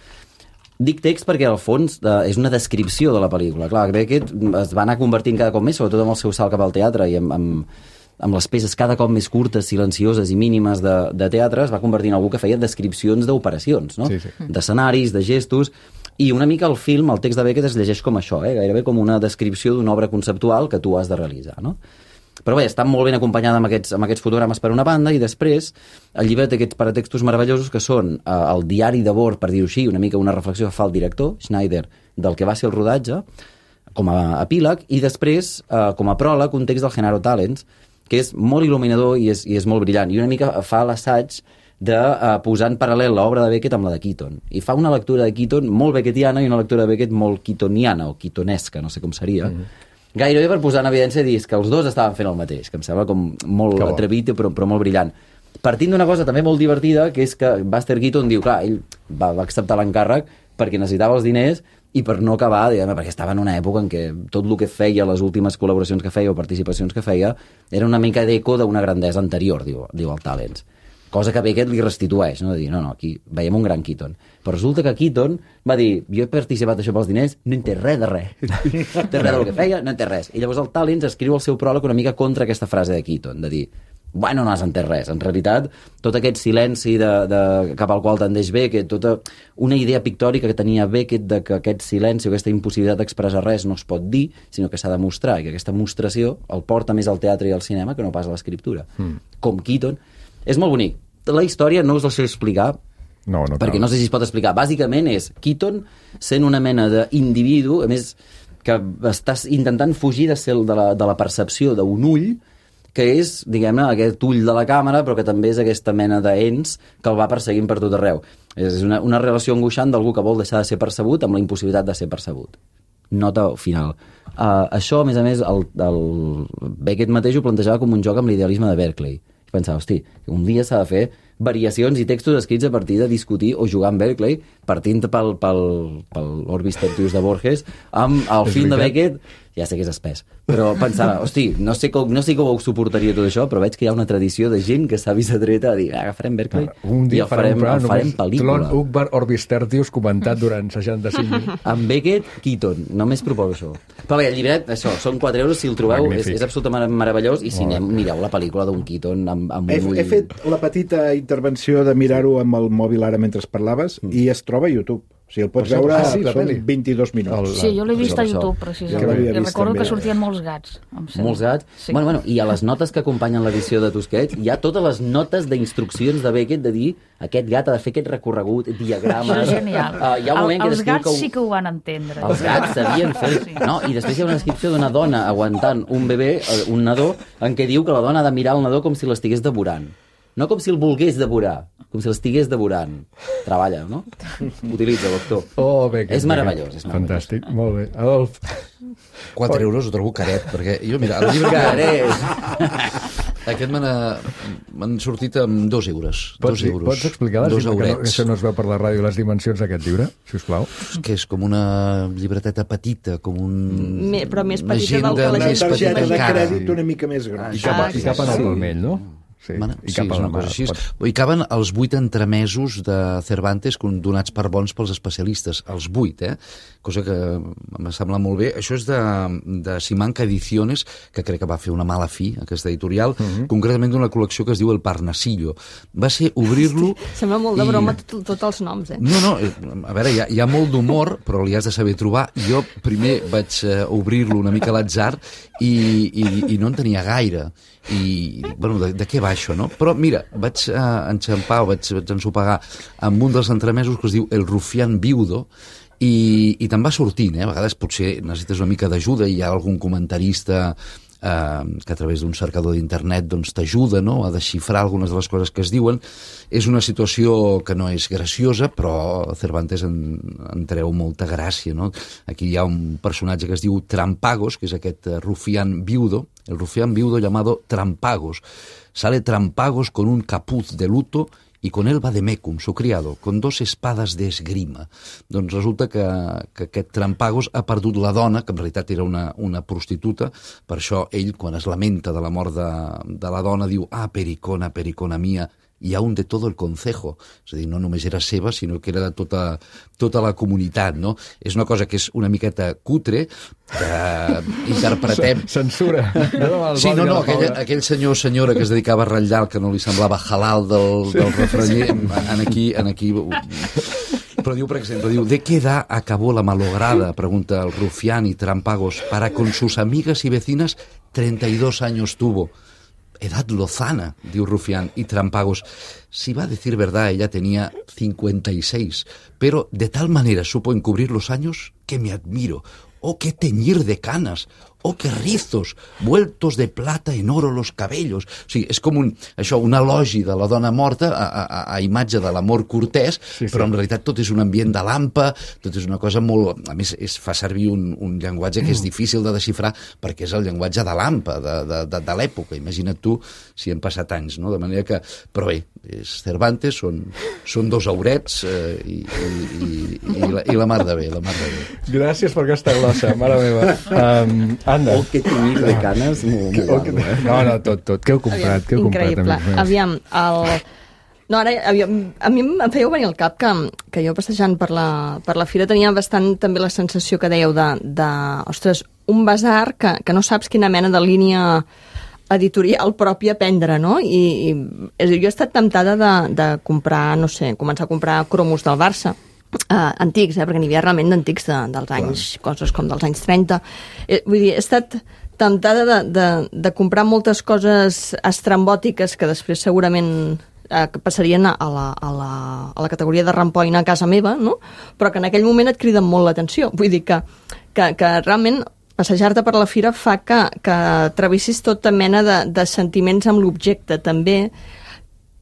Dic text perquè, al fons, és una descripció de la pel·lícula. Clar, Beckett es va anar convertint cada cop més, sobretot amb el seu salt cap al teatre i amb les peces cada cop més curtes, silencioses i mínimes de teatre, es va convertir en algú que feia descripcions d'operacions, no? Sí. D'escenaris, de gestos, i una mica el film, el text de Beckett es llegeix com això, gairebé com una descripció d'una obra conceptual que tu has de realitzar, no? Però bé, està molt ben acompanyada amb aquests fotogrames per una banda, i després el llibre té aquests paratextos meravellosos que són el diari de bord, per dir-ho així, una mica una reflexió que fa el director, Schneider, del que va ser el rodatge, com a epíleg, i després, com a pròleg, un text del Genaro Talents, que és molt il·luminador i és molt brillant, i una mica fa l'assaig de posar en paral·lel l'obra de Beckett amb la de Keaton. I fa una lectura de Keaton molt beckettiana i una lectura de Beckett molt keatoniana, o keatonesca, no sé com seria, gairebé per posar en evidència dir que els dos estaven fent el mateix, que em sembla com molt atrevit però molt brillant. Partint d'una cosa també molt divertida, que és que Buster Keaton diu, clar, ell va acceptar l'encàrrec perquè necessitava els diners i per no acabar, perquè estava en una època en què tot el que feia, les últimes col·laboracions que feia o participacions que feia, era una mica d'eco d'una grandesa anterior, diu el Talents. Cosa que Beckett li restitueix, no? De dir, no, aquí veiem un gran Keaton. Però resulta que Keaton va dir, jo he participat això pels diners, no en té res de res. No té res del que feia, no en té res. I llavors el Talents escriu el seu pròleg una mica contra aquesta frase de Keaton, de dir, bueno, no has entès res. En realitat, tot aquest silenci cap al qual tendeix Beckett, tota una idea pictòrica que tenia Beckett de que aquest silenci o aquesta impossibilitat d'expressar res no es pot dir, sinó que s'ha de mostrar, i que aquesta mostració el porta més al teatre i al cinema que no pas a l'escriptura. Com Keaton. És molt bonic. La història no us la sé explicar, perquè no sé si es pot explicar. Bàsicament és Keaton sent una mena d'individu, a més, que estàs intentant fugir de la percepció d'un ull, que és, diguem-ne, aquest ull de la càmera, però que també és aquesta mena d'ens que el va perseguint per tot arreu. És una relació angoixant d'algú que vol deixar de ser percebut amb la impossibilitat de ser percebut. Nota final. Això, a més, el Beckett mateix ho plantejava com un joc amb l'idealisme de Berkeley. I pensava, hosti, un dia s'ha de fer variacions i textos escrits a partir de discutir o jugar amb Berkeley, partint pel Orbis Tertius de Borges, amb el film de Beckett, ja sé que és espès, però pensava, hosti, no sé com ho suportaria tot això, però veig que hi ha una tradició de gent que s'ha vist atreta a dir, agafarem Berkeley i el farem pel·lícula. Tlon Ukbar Orbis Tertius comentat durant 65 minuts. Amb Beckett, Keaton, només proposo això. Però bé, el llibret, això, són 4 euros, si el trobeu, és absolutament meravellós, i si mireu la pel·lícula d'un Keaton amb un ull... He fet la petita intervenció de mirar-ho amb el mòbil ara mentre parlaves, i es troba a YouTube. O sigui, el pots veure, són 22 minuts. Sí, jo l'he vist a YouTube, precisament. I recordo que sortien molts gats. Molts gats? Sí. Bueno, i a les notes que acompanyen l'edició de Tusquets hi ha totes les notes d'instruccions de Beckett de dir aquest gat ha de fer aquest recorregut, diagrames... Això és genial. Hi ha un moment els gats sí que ho van entendre. Els gats sabien fer... Sí. No? I després hi ha una descripció d'una dona aguantant un bebè, un nadó, en què diu que la dona ha de mirar el nadó com si l'estigués devorant. No com si el volgués devorar, com si l'estigués devorant. Treballa, no? Utilitza, doctor. Oh, Beckett. És meravellós. Fantàstic, molt bé. Adolf. 4 euros ho trobo caret, perquè jo, mira, el llibre... Caret! Aquest m'han sortit amb 2 euros. Pots explicar que això no es veu per la ràdio, les dimensions d'aquest llibre, sisplau? Que és com una llibreteta petita, com un... Però més petita del que la gent... Una targeta de crèdit una mica més gran. I cap en el palmell, no? Sí, Bueno, i sí, cap a és la una cosa mar. així. I caben els 8 entremesos de Cervantes donats per bons pels especialistes. Els 8, cosa que em sembla molt bé. Això és de Simanca Ediciones, que crec que va fer una mala fi, aquesta editorial, concretament d'una col·lecció que es diu El Parnasillo. Va ser obrir-lo... Sembla molt de broma tots els noms, No, a veure, hi ha molt d'humor, però li has de saber trobar. Jo primer vaig obrir-lo una mica a l'atzar i no en tenia gaire. I, bueno, de què va això, no? Però mira, vaig enxampar, vaig ensopegar amb un dels entremesos que es diu El rufián viudo, i te'n va sortint, A vegades potser necessites una mica d'ajuda i hi ha algun comentarista que a través d'un cercador d'internet doncs, t'ajuda, no?, a desxifrar algunes de les coses que es diuen. És una situació que no és graciosa, però Cervantes en treu molta gràcia, no? Aquí hi ha un personatge que es diu Trampagos, que és aquest rufián viudo, el rufián viudo llamado Trampagos. Sale Trampagos con un capuz de luto y con él va de Mecum, su criado, con 2 espadas de esgrima. Doncs resulta que aquest Trampagos ha perdut la dona, que en realitat era una prostituta, per això ell, quan es lamenta de la mort de la dona, diu pericona, pericona mía, i aún de todo el concejo. És a dir, no només era seva, sinó que era de tota la comunitat, no? És una cosa que és una miqueta cutre, que interpretem... Censura. Sí, no, aquell senyor o senyora que es dedicava a ratllar el que no li semblava halal del refranyer, aquí... Però diu, per exemple, ¿de qué edad acabó la malograda? Pregunta el rufián y Trampagos. Para con sus amigas y vecinas 32 años tuvo. Edad lozana, diu Rufián, y Trampagos. Si va a decir verdad, ella tenía 56, pero de tal manera supo encubrir los años que me admiro. ¡Oh, qué teñir de canas! ¡Oh, qué rizos! Vueltos de plata en oro los cabellos. O sigui, és com un elogi de la dona morta a imatge de l'amor cortès, però en realitat tot és un ambient de lampa, tot és una cosa molt... A més, fa servir un llenguatge que és difícil de desxifrar perquè és el llenguatge de lampa, de l'època. Imagina't tu si han passat anys, no? De manera que... Però bé, és Cervantes, són 2 aurets i la mar de bé, la mar de bé. Gràcies per aquesta glossa, mare meva. Anda. Oh, que tenyir de canes. No, tot. Què heu comprat? Increïble. Aviam, no, ara, a mi em fèieu venir al cap que jo passejant per la fira tenia bastant també la sensació que dèieu de ostres, un basar que no saps quina mena de línia editorial pròpia prendre, no? I jo he estat temptada de comprar, no sé, començar a comprar cromos del Barça, antics, perquè n'hi havia realment d'antics dels anys, coses com dels anys 30. Vull dir, he estat temptada de comprar moltes coses estrambòtiques que després segurament passarien a la categoria de rampoina a casa meva, no? Però que en aquell moment et criden molt l'atenció. Vull dir que realment passejar-te per la fira fa que travessis tota mena de sentiments amb l'objecte, també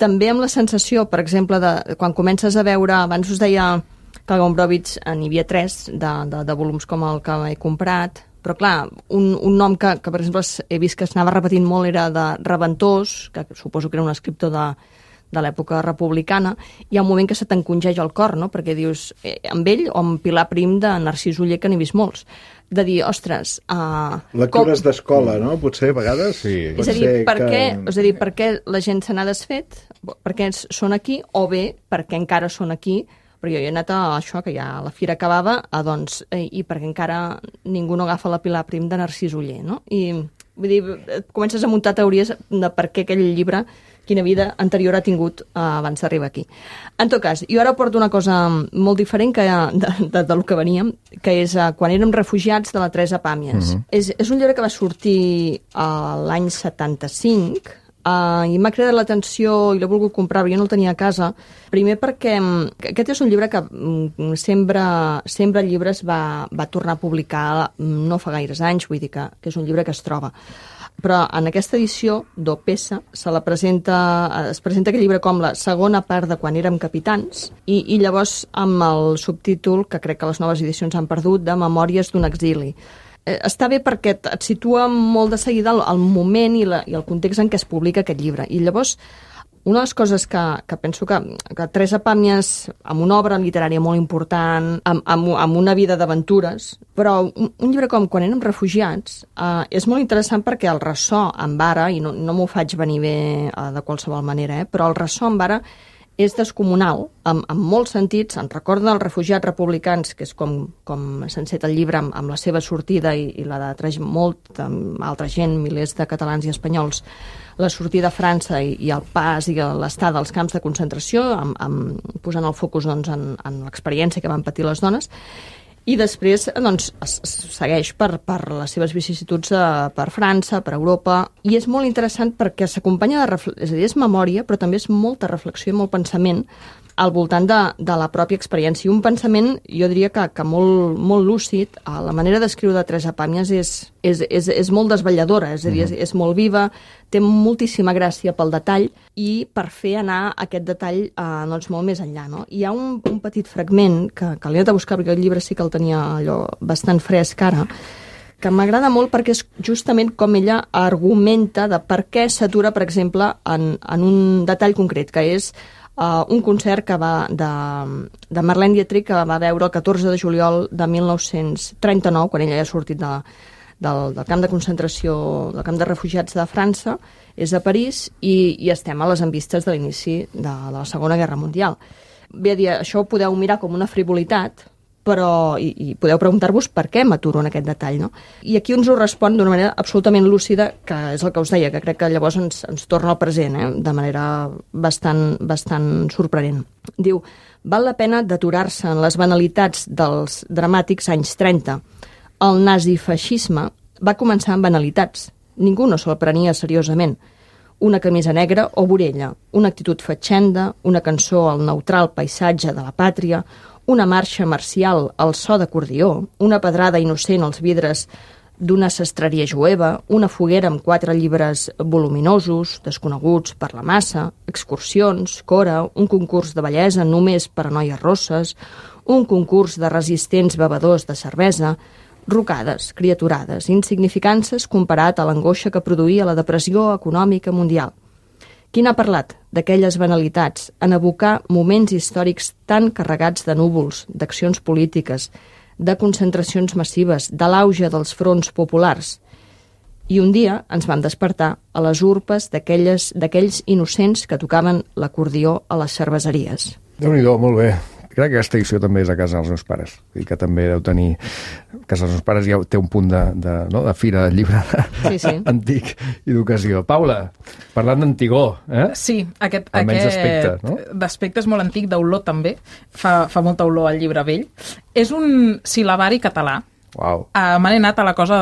amb la sensació, per exemple, de quan comences a veure, abans us deia que al Gombrowicz n'hi havia 3 de volums com el que he comprat, però clar, un nom que per exemple he vist que s'anava repetint molt era de Reventós, que suposo que era un escriptor de l'època republicana. Hi ha un moment que se t'encongeix el cor, no? Perquè dius, amb ell o amb Pilar Prim de Narcís Oller, que n'he vist molts, de dir, ostres... Lectures d'escola, no? Potser, a vegades? Sí. És a dir, per què la gent se n'ha desfet, per què són aquí, o bé, per què encara són aquí, però jo he anat a això, que ja la fira acabava, i perquè encara ningú no agafa la Pilar Prim de Narcís Oller, no? I vull dir, comences a muntar teories de per què aquell llibre, quina vida anterior ha tingut abans d'arribar aquí. En tot cas, jo ara porto una cosa molt diferent del que veníem, que és Quan érem refugiats, de la Teresa Pàmies. És un llibre que va sortir l'any 75, i m'ha cridat l'atenció i l'he volgut comprar, però jo no el tenia a casa. Primer perquè aquest és un llibre que Sembra Llibres va tornar a publicar no fa gaires anys, vull dir que és un llibre que es troba. Però en aquesta edició d'Opesa es presenta aquest llibre com la segona part de Quan érem capitans, i llavors amb el subtítol, que crec que les noves edicions han perdut, de Memòries d'un exili. Està bé perquè et situa molt de seguida el moment i el context en què es publica aquest llibre. I llavors Una de les coses que penso que Teresa Pàmies, amb una obra literària molt important, amb una vida d'aventures, però un llibre com Quan érem refugiats és molt interessant perquè el ressò amb ara, i no m'ho faig venir bé de qualsevol manera, però el ressò amb ara és descomunal, en molts sentits. Ens recorda els refugiats republicans, que és com s'enceta el llibre amb la seva sortida i la de molta altra gent, milers de catalans i espanyols, la sortida a França i el pas i l'estada als camps de concentració, posant el focus doncs, en l'experiència que van patir les dones. I després doncs, es segueix per les seves vicissituds per França, per Europa, i és molt interessant perquè s'acompanya és a dir, és memòria, però també és molta reflexió i molt pensament al voltant de la pròpia experiència. I un pensament, jo diria que molt, molt lúcid. La manera d'escriure de Teresa Pàmies és molt desvetlladora, és a dir, és molt viva, té moltíssima gràcia pel detall i per fer anar aquest detall doncs, molt més enllà. No? Hi ha un petit fragment que l'he anat a buscar perquè el llibre sí que el tenia allò bastant fresc ara, que m'agrada molt perquè és justament com ella argumenta de per què s'atura, per exemple, en un detall concret, que és un concert que va de Marlene Dietrich, que va veure el 14 de juliol de 1939, quan ella ja ha sortit del camp de concentració, del camp de refugiats de França, és a París, i estem a les envistes de l'inici de la Segona Guerra Mundial. Bé a dir, això ho podeu mirar com una frivolitat, però i podeu preguntar-vos per què m'aturo en aquest detall, no? I aquí ens ho respon d'una manera absolutament lúcida, que és el que us deia, que crec que llavors ens torna al present, de manera bastant sorprenent. Diu, val la pena d'aturar-se en les banalitats dels dramàtics anys 30. El nazifeixisme va començar amb banalitats. Ningú no se'l prenia seriosament. Una camisa negra o vorella, una actitud fatxenda, una cançó al neutral paisatge de la pàtria, una marxa marcial al so d'acordió, una pedrada innocent als vidres d'una sastreria jueva, una foguera amb 4 llibres voluminosos, desconeguts per la massa, excursions, cora, un concurs de bellesa només per a noies rosses, un concurs de resistents bevedors de cervesa, rocades, criaturades, insignificances comparat a l'angoixa que produïa la depressió econòmica mundial. Qui n'ha parlat d'aquelles banalitats en evocar moments històrics tan carregats de núvols, d'accions polítiques, de concentracions massives, de l'auge dels fronts populars? I un dia ens vam despertar a les urpes d'aquells innocents que tocaven l'acordió a les cerveseries. Déu-n'hi-do, molt bé. Crec que aquesta edició també és a casa dels meus pares, i que també deu tenir... A casa dels meus pares ja té un punt de fira de llibre antic i d'ocasió. Paula, parlant d'Antigó, Sí, almenys d'aspecte, no? D'aspecte és molt antic, d'olor també, fa molta olor al llibre vell. És un sil·labari català. Uau. Me n'he anat a la cosa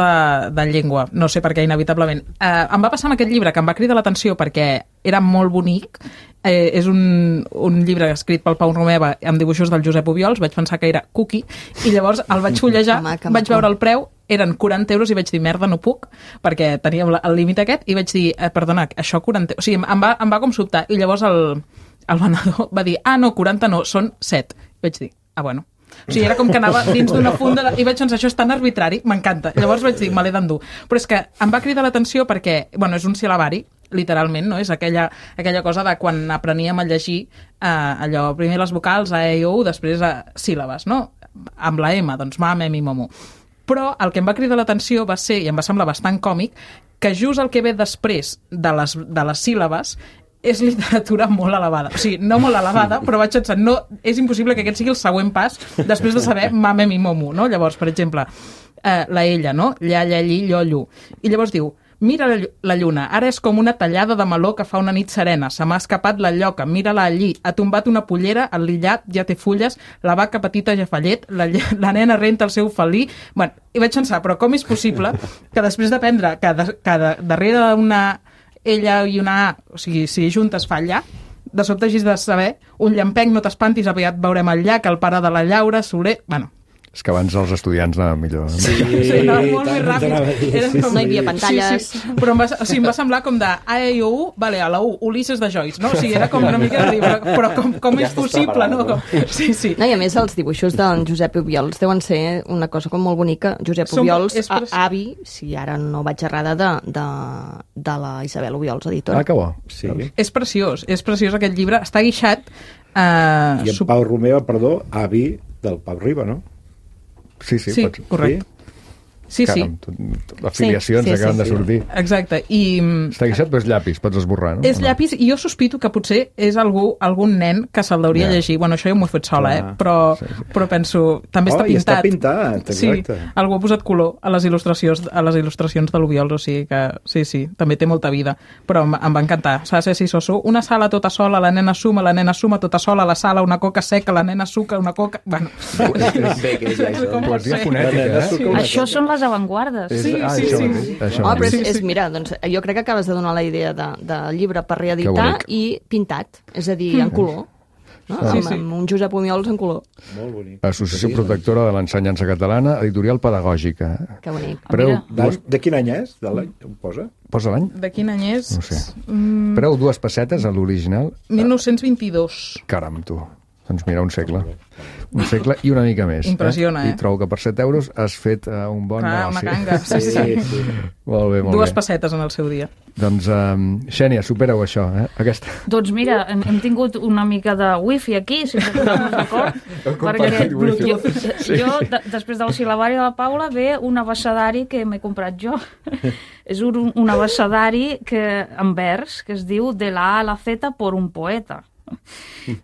de llengua, no sé per què, inevitablement. Em va passar amb aquest llibre, que em va cridar l'atenció perquè era molt bonic. És un llibre escrit pel Pau Romeva amb dibuixos del Josep Obiols, vaig pensar que era cookie, i llavors el vaig fullejar, vaig veure el preu, eren 40 euros i vaig dir, merda, no puc, perquè teníem el límit aquest, i vaig dir, perdona, això 40 euros... O sigui, em va com sobtar, i llavors el venedor va dir, no, 40 no, són 7. I vaig dir, bueno... O sigui, era com que anava dins d'una funda i vaig pensar, això és tan arbitrari, m'encanta. Llavors vaig dir, me l'he d'endur. Però és que em va cridar l'atenció perquè, és un sil·labari, literalment, no? És aquella cosa de quan apreníem a llegir allò, primer les vocals, a, e, i, o, després a síl·labes, no? Amb la M, doncs ma, me, mi, momo. Però el que em va cridar l'atenció va ser, i em va semblar bastant còmic, que just el que ve després de les síl·labes és literatura molt elevada. O sigui, no molt elevada, però vaig pensar, no, és impossible que aquest sigui el següent pas després de saber mame, mi, momo, no? Llavors, per exemple, la ella, no? Lla, lla, lli, llo, llu. I llavors diu, mira la lluna, ara és com una tallada de meló que fa una nit serena, se m'ha escapat la lloca, mira-la allí, ha tombat una pollera, el lillat ja té fulles, la vaca petita ja fa llet, la nena renta el seu felí... Bueno, i vaig pensar, però com és possible que després d'aprendre que darrere d'una ella i una A, o sigui, si juntes fa lla, de sobte hagis de saber un llampec, no t'espantis, aviat veurem el llac, el pare de la Llaura, Soler... Bueno, És que abans els estudiants anaven millor. Sí, Anava molt més ràpid. Era com- No hi havia pantalles. Sí. Però em va semblar com de A, E, I, O, U, vale, a la U, Ulisses de Joyce, no? O sigui, era com una mica de llibre, però com és possible, no? Sí. No, i a més els dibuixos d'en Josep Obiols deuen ser una cosa com molt bonica. Josep Som- Obiols, és preci- avi, si ara no vaig errada, de la Isabel Obiols, editora. Ah, que bo. Sí. És preciós aquest llibre. Està guixat... I en Pau Romeva, perdó, avi del Pau Riba, no? Sí, Sí, pots... correcte. Sí. Afiliacions Sí, acaben de sortir. Exacte. I Està guixat, però és llapis, pots esborrar, no? és O no? llapis, i jo sospito que potser és algun nen que se'l hauria Ja. llegir. Bueno, això jo m'ho he fet sola, Clar. però penso... També està i pintat. està pintat, exacte. Sí, algú ha posat color a les il·lustracions de l'Obiols, o sigui que sí, també té molta vida. Però em va encantar. S'ha de ser soso. Una sala tota sola, la nena suma tota sola, la sala, una coca seca, la nena suca, una coca... Bueno, com pot Poesia ser? fonètica, eh? Això són les avantguardes. Sí, Ah, sí, això sí. mateix, això Oh, però mateix. mira, doncs, jo crec que acabes de donar la idea de llibre per Que reeditar bonic. i pintat, és a dir, en color. No? Amb un Josep Obiols en color. Molt bonic. Associació Protectora de l'Ensenyança Catalana, editorial pedagògica. Que bonic. Preu, De quin any és? De l'any? Ho posa? posa l'any? De quin any és? No sé. Preu 2 pessetes a l'original. 1922. Caram, tu. Doncs mira, un segle. Un segle i una mica més. Impressiona, eh? I trobo que per 7 euros has fet un bon Clar, negoci. una canga. Sí. Molt bé, molt Dues bé. pessetes en el seu dia. Doncs, Xènia, supera-ho això, eh? Aquesta... Doncs mira, hem tingut una mica de wifi aquí, si no posem d'acord, perquè jo, després del sil·labari de la Paula, ve un abecedari que m'he comprat jo. És un abecedari en vers que es diu De la A a la Z por un poeta.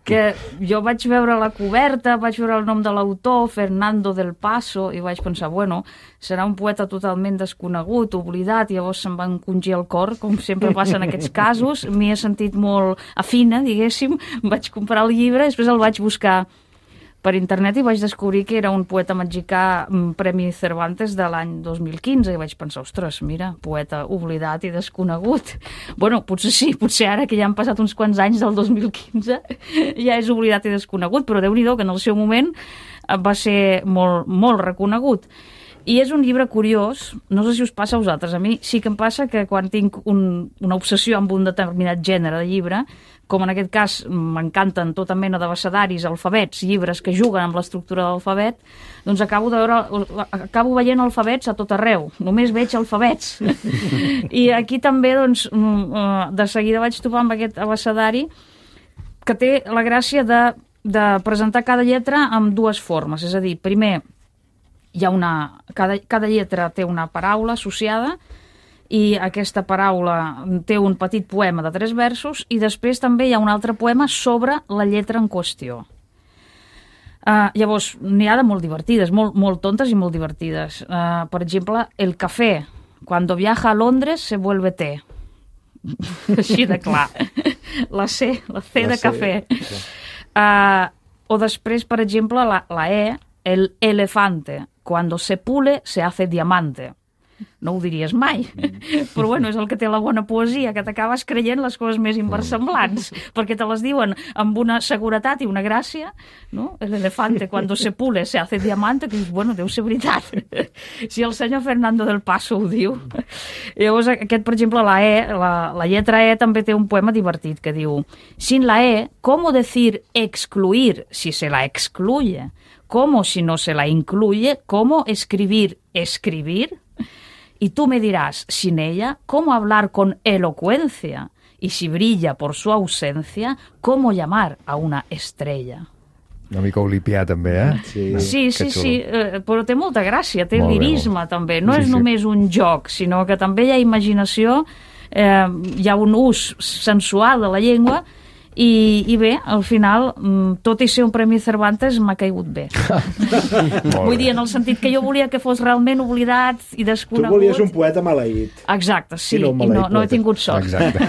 Que jo vaig veure la coberta, vaig veure el nom de l'autor, Fernando del Paso, i vaig pensar, bueno, serà un poeta totalment desconegut, oblidat, i llavors se'm va encongir el cor, com sempre passa en aquests casos, m'hi he sentit molt afina, diguéssim, vaig comprar el llibre, després el vaig buscar per internet i vaig descobrir que era un poeta mexicà Premi Cervantes de l'any 2015 i vaig pensar, ostres, mira, poeta oblidat i desconegut. Bueno, potser sí, potser ara que ja han passat uns quants anys del 2015 ja és oblidat i desconegut, però Déu-n'hi-do que en el seu moment va ser molt, molt reconegut. I és un llibre curiós, no sé si us passa a vosaltres, a mi sí que em passa que quan tinc una obsessió amb un determinat gènere de llibre, com en aquest cas m'encanten tota mena d'abecedaris, alfabets, llibres que juguen amb l'estructura de l'alfabet, doncs acabo veient alfabets a tot arreu, només veig alfabets. I aquí també, doncs, de seguida vaig trobar amb aquest abecedari que té la gràcia de presentar cada lletra amb dues formes, és a dir, primer hi ha cada lletra té una paraula associada i aquesta paraula té un petit poema de 3 versos i després també hi ha un altre poema sobre la lletra en qüestió. Llavors, n'hi ha de molt divertides, molt tontes i molt divertides. Per exemple, el cafè. Cuando viaja a Londres se vuelve té. Així de clar. La C de cafè. O després, per exemple, la E, el elefante. Cuando se pule, se hace diamante. No ho diries mai, però bueno, és el que té la bona poesia, que t'acabes creient les coses més inversemblants, perquè te les diuen amb una seguretat i una gràcia, no? El elefante, cuando se pule, se hace diamante, que dius, bueno, deu ser veritat. Si el senyor Fernando del Paso ho diu. Llavors, aquest, per exemple, la lletra E també té un poema divertit que diu: sin la E, ¿cómo decir excluir si se la excluye? ¿Cómo si no se la incluye? ¿Cómo escribir escribir? Y tú me dirás, sin ella, ¿cómo hablar con elocuencia? Y si brilla por su ausencia, ¿cómo llamar a una estrella? Una mica olipià, també, eh? Sí, però té molta gràcia, té Molt bé, lirisme, també. No és sí. només un joc, sinó que també hi ha imaginació, hi ha un ús sensual de la llengua, i bé, al final, tot i ser un Premi Cervantes, m'ha caigut bé. Vull dir, en el sentit que jo volia que fos realment oblidat i desconegut. Tu volies un poeta maleït. Exacte, sí, I no un i no he maleït tingut sort. Exacte.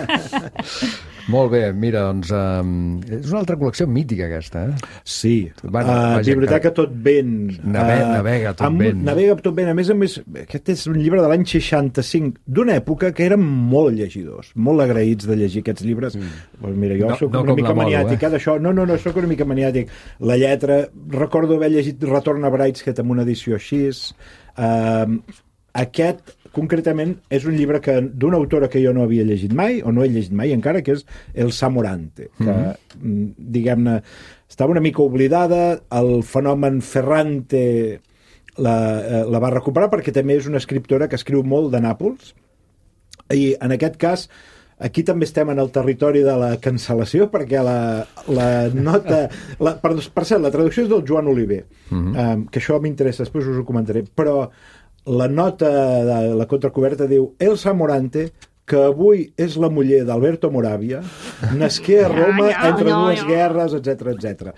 Molt bé, mira, doncs és una altra col·lecció mítica aquesta, Sí. Vaja, Biblioteca Tot Vent. Navega Tot Vent. Navega Tot Vent. A més, aquest és un llibre de l'any 65, d'una època que eren molt llegidors, molt agraïts de llegir aquests llibres. Pues mira, jo soc una mica maniàtic d'això. No, soc una mica maniàtic. La lletra, recordo haver llegit Retorn a Brideshead amb una edició així. Aquest, concretament, és un llibre d'una autora que jo no havia llegit mai, o no he llegit mai encara, que és Elsa Morante, que, diguem-ne, estava una mica oblidada, el fenomen Ferrante la va recuperar perquè també és una escriptora que escriu molt de Nàpols, i en aquest cas aquí també estem en el territori de la cancel·lació, perquè la nota... Per cert, la traducció és del Joan Oliver, que això m'interessa, després us ho comentaré, però la nota de la contracoberta diu Elsa Morante, que avui és la muller d'Alberto Moravia, nasqué a Roma entre dues guerres, etc.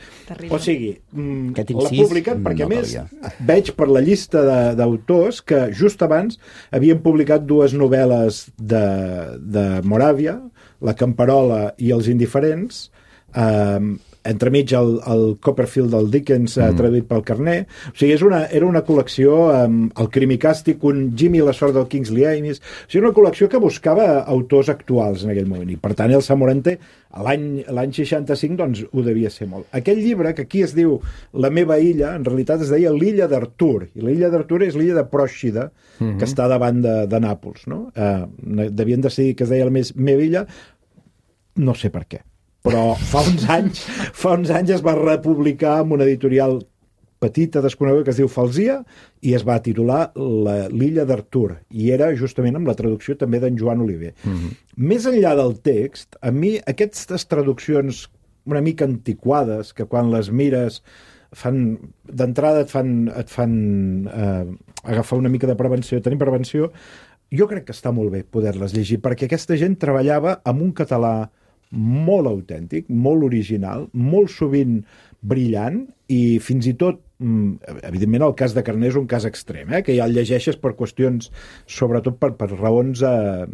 O sigui, l'ha publicat perquè, a més, veig per la llista d'autors que just abans havien publicat dues novel·les de Moravia, La Camperola i Els indiferents, entremig el Copperfield del Dickens traduït pel Carner. O sigui, era una col·lecció el Crimicàstic, un Jimmy la sort del Kingsley Amis. O sigui, una col·lecció que buscava autors actuals en aquell moment, i per tant Elsa Morante l'any 65 doncs ho devia ser molt. Aquell llibre, que aquí es diu La meva illa, en realitat es deia l'illa d'Artur, i l'illa d'Artur és l'illa de Pròxida, que està davant de Nàpols, no? Devien decidir que es deia la meva illa, no sé per què, però fa uns anys es va republicar amb una editorial petita, desconeguda, que es diu Falsia, i es va titular l'illa d'Artur, i era justament amb la traducció també d'en Joan Oliver. Més enllà del text, a mi aquestes traduccions una mica antiquades, que quan les mires d'entrada et fan agafar una mica de prevenció, tenir prevenció, jo crec que està molt bé poder-les llegir, perquè aquesta gent treballava amb un català molt autèntic, molt original, molt sovint brillant, i fins i tot, evidentment el cas de Carner és un cas extrem, que ja el llegeixes per qüestions, sobretot per raons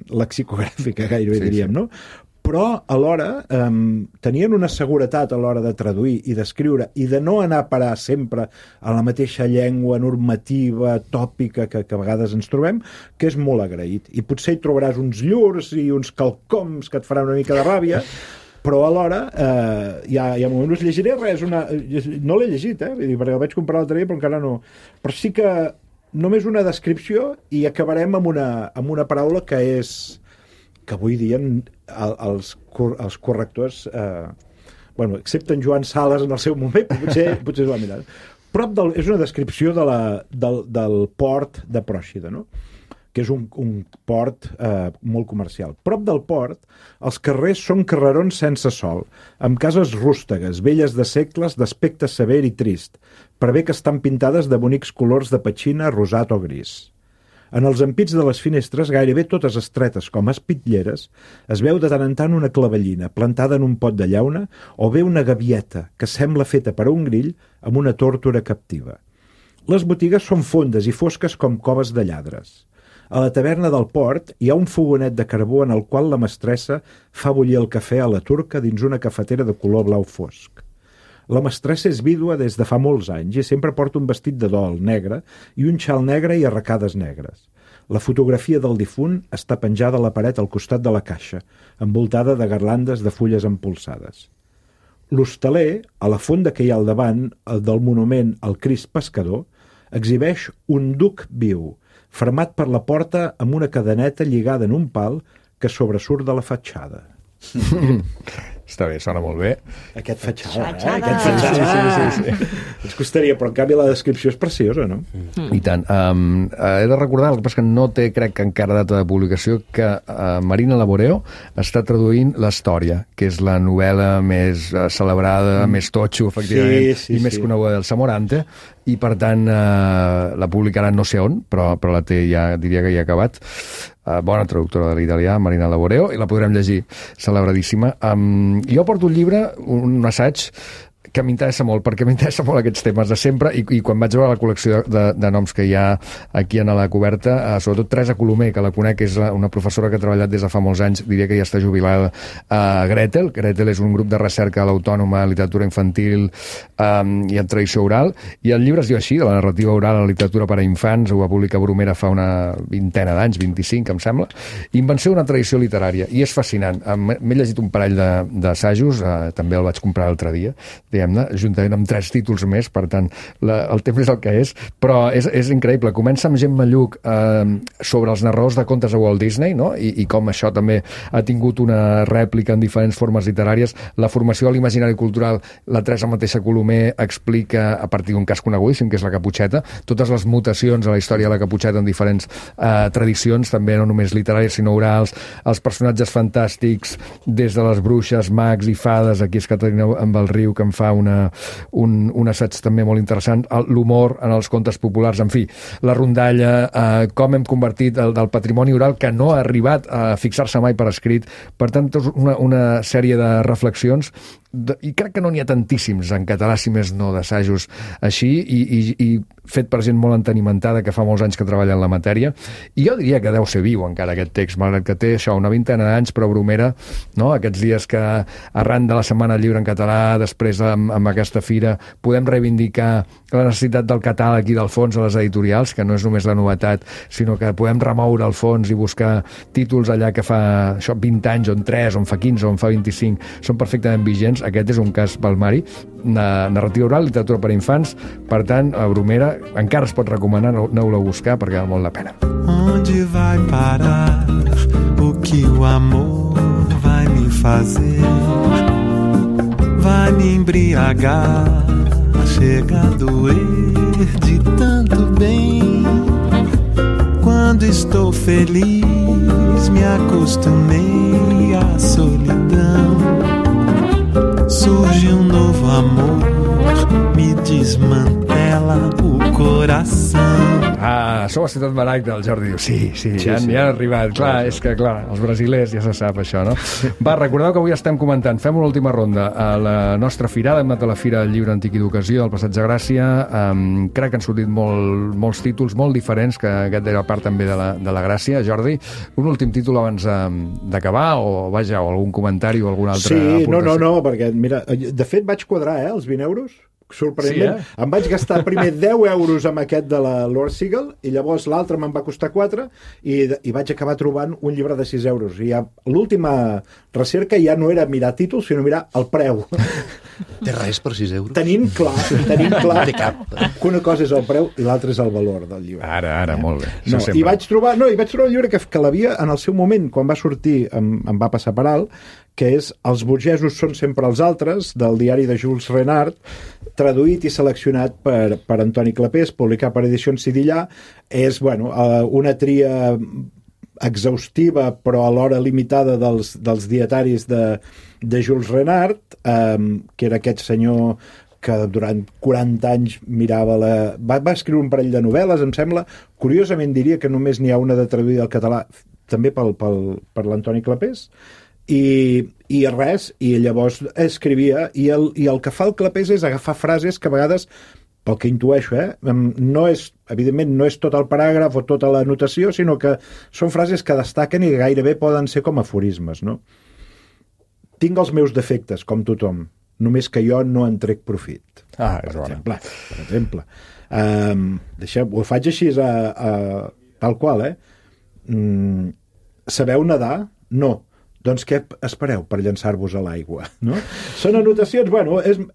lexicogràfiques, gairebé diríem, no? Però alhora tenien una seguretat a l'hora de traduir i d'escriure i de no anar a parar sempre a la mateixa llengua normativa, tòpica que a vegades ens trobem, que és molt agraït. I potser hi trobaràs uns llurs i uns calcoms que et faran una mica de ràbia, però alhora hi ha moments, us llegiré res, no l'he llegit, perquè el vaig comprar l'altre dia però encara no, però sí que només una descripció i acabarem amb una paraula que és que avui dia els correctors, excepte en Joan Sales en el seu moment, potser es va mirar. És una descripció del port de Pròxida, no? Que és un port molt comercial. Prop del port, els carrers són carrerons sense sol, amb cases rústegues, velles de segles, d'aspecte sever i trist, per bé que estan pintades de bonics colors de petxina, rosat o gris. En els ampits de les finestres, gairebé totes estretes com espitlleres, es veu de tant en tant una clavellina plantada en un pot de llauna o bé una gavieta que sembla feta per a un grill amb una tórtora captiva. Les botigues són fondes i fosques com coves de lladres. A la taverna del port hi ha un fogonet de carbó en el qual la mestressa fa bullir el cafè a la turca dins una cafetera de color blau fosc. La mestressa és vídua des de fa molts anys i sempre porta un vestit de dol negre i un xal negre i arracades negres. La fotografia del difunt està penjada a la paret al costat de la caixa, envoltada de garlandes de fulles empolsades. L'hostaler, a la fonda que hi ha al davant del monument al Crist Pescador, exhibeix un duc viu, fermat per la porta amb una cadeneta lligada en un pal que sobresurt de la fatxada. Està bé, sona molt bé. Aquest fatxada. Sí. Ens costaria, però en canvi la descripció és preciosa, no? I tant. He de recordar, el que passa que no té, crec que encara data de publicació, que Marina Laboreo està traduint l'Història, que és la novel·la més celebrada, més totxo, efectivament, i més coneguda del Samorante, i per tant la publicarà no sé on, però la té ja, diria que ja ha acabat. Bona traductora de l'italià, Marina Laboreo, i la podrem llegir, celebradíssima. Jo porto un llibre, un assaig, que m'interessa molt, perquè m'interessa molt aquests temes de sempre, i quan vaig veure la col·lecció de noms que hi ha aquí en la coberta, sobretot Teresa Colomer, que la conec, és una professora que ha treballat des de fa molts anys, diria que ja està jubilada, Gretel és un grup de recerca a l'Autònoma, literatura infantil i en tradició oral, i el llibre es diu així, de la narrativa oral a la literatura per a infants, ho va publicar Bromera fa una vintena d'anys, 25, em sembla, Invenció d'una tradició literària, i és fascinant. M'he llegit un parell d'assajos, també el vaig comprar l'altre dia, diguem-ne, juntament amb 3 títols més, per tant, el temps és el que és, però és increïble. Comença amb Gemma Lluch sobre els narradors de contes de Walt Disney, no? I com això també ha tingut una rèplica en diferents formes literàries. La formació de l'imaginari cultural, la Teresa mateixa Colomer explica, a partir d'un cas conegudíssim, que és la Caputxeta, totes les mutacions a la història de la Caputxeta en diferents tradicions, també no només literàries, sinó orals, els personatges fantàstics, des de les bruixes, mags i fades, aquí és Caterina amb el riu, que en fa un assaig també molt interessant, l'humor en els contes populars, en fi, la rondalla, com hem convertit del patrimoni oral que no ha arribat a fixar-se mai per escrit, per tant, una sèrie de reflexions, i crec que no n'hi ha tantíssims en català, si més no, d'assajos així, i fet per gent molt entenimentada que fa molts anys que treballa en la matèria, i jo diria que deu ser viu encara aquest text, malgrat que té això, una vintena d'anys, però Bromera, no? Aquests dies que arran de la Setmana del Llibre en català, després amb aquesta fira, podem reivindicar la necessitat del catàleg i del fons a les editorials, que no és només la novetat, sinó que podem remoure el fons i buscar títols allà que fa això 20 anys, on 3, on fa 15, on fa 25, són perfectament vigents. Aquest és un cas palmari, narrativa oral, literatura per a infants, per tant, a Bromera encara es pot recomanar, aneu-la a buscar perquè val molt la pena. Onde vai parar o que o amor vai me fazer? Vai me embriagar, chega a doer de tanto bem. Quando estou feliz, me acostumei à solidão. Surge novo amor, me desmantela o coração. Sou a Ciutat Maragda, el Jordi diu, sí, ja han arribat. Clar, és que, clar, els brasilers ja se sap això, no? Va, recordeu que avui estem comentant, fem una última ronda a la nostra firada, hem anat a la Fira del Llibre Antic i d'Ocasió del Passeig de Gràcia, crec que han sortit molts títols molt diferents, que aquest era part també de la gràcia. Jordi, un últim títol abans d'acabar, o vaja, o algun comentari o alguna altra aportació? No, perquè, mira, de fet vaig quadrar, els 20 euros, sorprenentment. Sí, em vaig gastar primer 10 euros amb aquest de la Lord Seagull, i llavors l'altre me'n va costar 4, i vaig acabar trobant un llibre de 6 euros. I l'última recerca ja no era mirar títols, sinó mirar el preu. Té res per 6 euros? Tenim clar que una cosa és el preu i l'altra és el valor del llibre. Ara, molt bé. I vaig trobar un llibre que l'havia, en el seu moment, quan va sortir, em va passar per alt, que és Els burgesos són sempre els altres, del diari de Jules Renard, traduït i seleccionat per Antoni Clapés, publicat per Edicions Sidillà. És, una tria exhaustiva, però alhora limitada dels dietaris de Jules Renard, que era aquest senyor que durant 40 anys mirava va escriure un parell de novel·les, em sembla. Curiosament diria que només n'hi ha una de traduïda al català, també per l'Antoni Clapés, i llavors escrivia, i el que fa el Clapés és agafar frases que a vegades, pel que intueixo, evidentment no és tot el paràgraf o tota la notació, sinó que són frases que destaquen i gairebé poden ser com aforismes, no? Tinc els meus defectes, com tothom, només que jo no en trec profit. És bona. Per exemple. Ho faig així tal qual, Sabeu nedar? No. Doncs què espereu per llançar-vos a l'aigua? No? Són anotacions,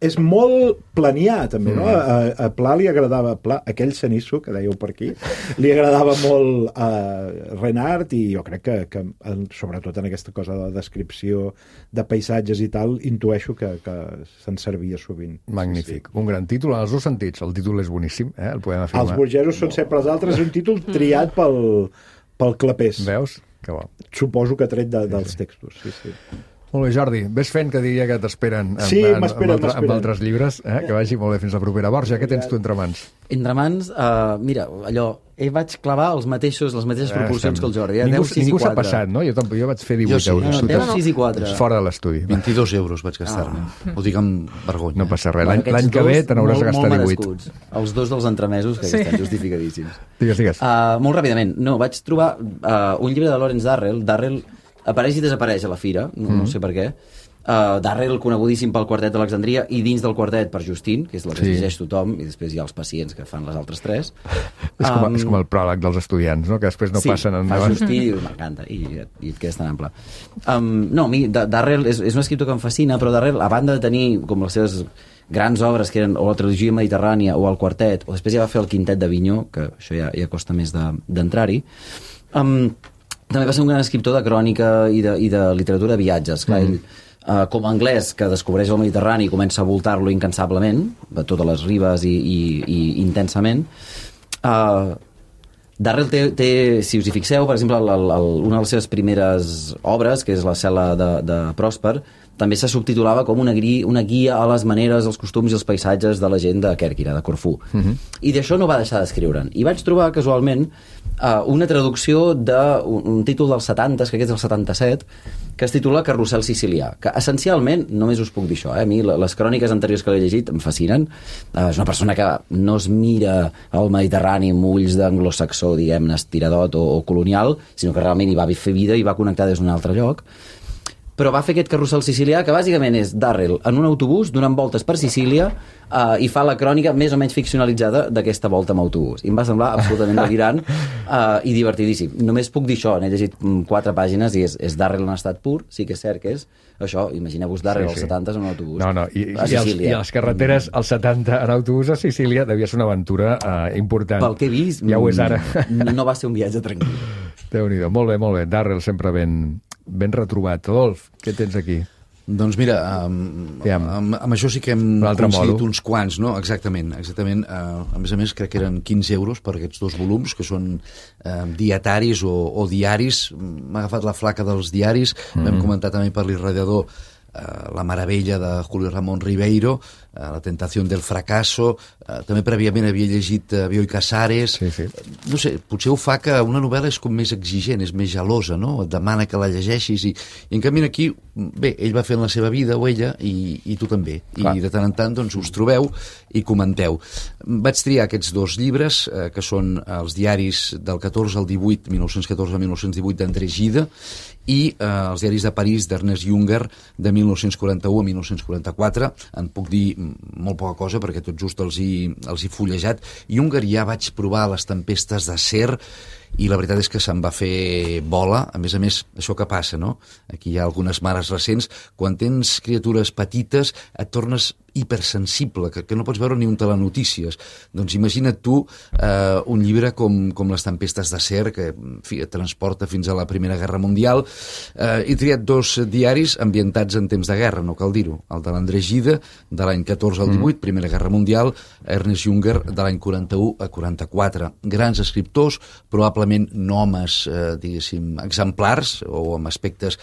és molt planià, també, no? A Pla li agradava, aquell cenisso que dèieu per aquí, li agradava molt a Renard, i jo crec que sobretot en aquesta cosa de la descripció de paisatges i tal, intueixo que se'n servia sovint. Magnífic. Un gran títol en els dos sentits. El títol és boníssim, el podem afirmar. Els burgesos són sempre els altres, és un títol triat pel Clapés. Veus? Que bo. Suposo que tret dels textos, sí. Molt bé, Jordi, ves fent que diria que t'esperen amb altres llibres, que vagi molt bé fins la propera. Borja, què tens tu entre mans? Entre mans, mira, allò, vaig clavar les mateixes proporcions que el Jordi. Ningú 10, 6 i 4. s'ha passat, no? Jo vaig fer 18 euros. 10, 6 i 4. Fora de l'estudi. 22 euros vaig gastar-me. Ho dic amb vergonya. No passa res. L'any que ve te n'hauràs de gastar 18. Els dos dels entremesos, que estan justificadíssims. Digues. Molt ràpidament. No, vaig trobar un llibre de Lawrence Darrell. Darrell apareix i desapareix a la fira, no sé per què. Darrell, conegudíssim pel Quartet d'Alexandria, i dins del quartet per Justin, que és la que llegeix tothom, i després hi ha els pacients que fan les altres tres. És com el pròleg dels estudiants, no? Que després no passen endavant. Sí, fa Justin i m'encanta, i et quedes tan ample. No, a mi, Darrell és un escriptor que em fascina, però Darrell, a banda de tenir com les seves grans obres, que eren o la trilogia mediterrània o el quartet, o després ja va fer el quintet d'Avinyó, que això ja costa més d'entrar-hi, també va ser un gran escriptor de crònica i de literatura de viatges. Clar, ell, com a anglès que descobreix el Mediterrani i comença a voltar-lo incansablement, de totes les ribes i intensament. Darrell té, si us hi fixeu, per exemple, una de les seves primeres obres, que és La cel·la de Pròsper, també se subtitulava com una guia a les maneres, els costums i els paisatges de la gent de Kèrkira, de Corfú. I d'això no va deixar d'escriure'n. I vaig trobar, casualment, una traducció d'un títol dels 70, que és del 77, que es titula Carrusel sicilià, que essencialment, només us puc dir això, a mi les cròniques anteriors que l'he llegit em fascinen. És una persona que no es mira al Mediterrani amb ulls d'anglosaxó, diguem-ne, estiradot o colonial, sinó que realment hi va fer vida i va connectar des d'un altre lloc. Però va fer aquest carrusel sicilià, que bàsicament és Darrell en un autobús donant voltes per Sicília i fa la crònica més o menys ficcionalitzada d'aquesta volta amb autobús. I em va semblar absolutament delirant i divertidíssim. Només puc dir això, n'he llegit 4 pàgines i és Darrell en estat pur, sí que és cert que és això, imagineu-vos Darrell als 70 en un autobús. I les carreteres als 70 en autobús a Sicília devia ser una aventura important. Pel que he vist, ja ho és ara. No va ser un viatge tranquil. Déu-n'hi-do, molt bé. Darrell sempre ben retrobat. Adolf, què tens aquí? Doncs mira, amb això sí que hem coincidit uns quants, no? Exactament. A més, crec que eren 15 euros per aquests 2 volums, que són dietaris o diaris. M'ha agafat la flaca dels diaris. Vam comentar també per l'irradiador La meravella de Julio Ramón Ribeiro, La tentació del fracasso, també prèviament havia llegit Bioy Casares. No sé, potser ho fa que una novel·la és com més exigent, és més gelosa, no? Et demana que la llegeixis i en canvi aquí, bé, ell va fent la seva vida o ella i tu també, i de tant en tant doncs us trobeu i comenteu. Vaig triar aquests 2 llibres que són els diaris del 14 al 18, 1914-1918 d'André Gide, i els diaris de París d'Ernest Junger de 1941 a 1944. En puc dir molt poca cosa perquè tot just els he fullejat. Junger ja vaig provar Les tempestes d'acer i la veritat és que se'n va fer bola. A més, això que passa, no? Aquí hi ha algunes mares recents. Quan tens criatures petites et tornes hipersensible, que no pots veure ni un telenotícies. Doncs imagina't tu un llibre com Les tempestes d'acer, que et transporta fins a la Primera Guerra Mundial. He triat 2 diaris ambientats en temps de guerra, no cal dir-ho. El de l'André Gide, de l'any 14 al 18, Primera Guerra Mundial, Ernest Junger, de l'any 41 a 44. Grans escriptors, probablement no homes, diguéssim, exemplars, o amb aspectes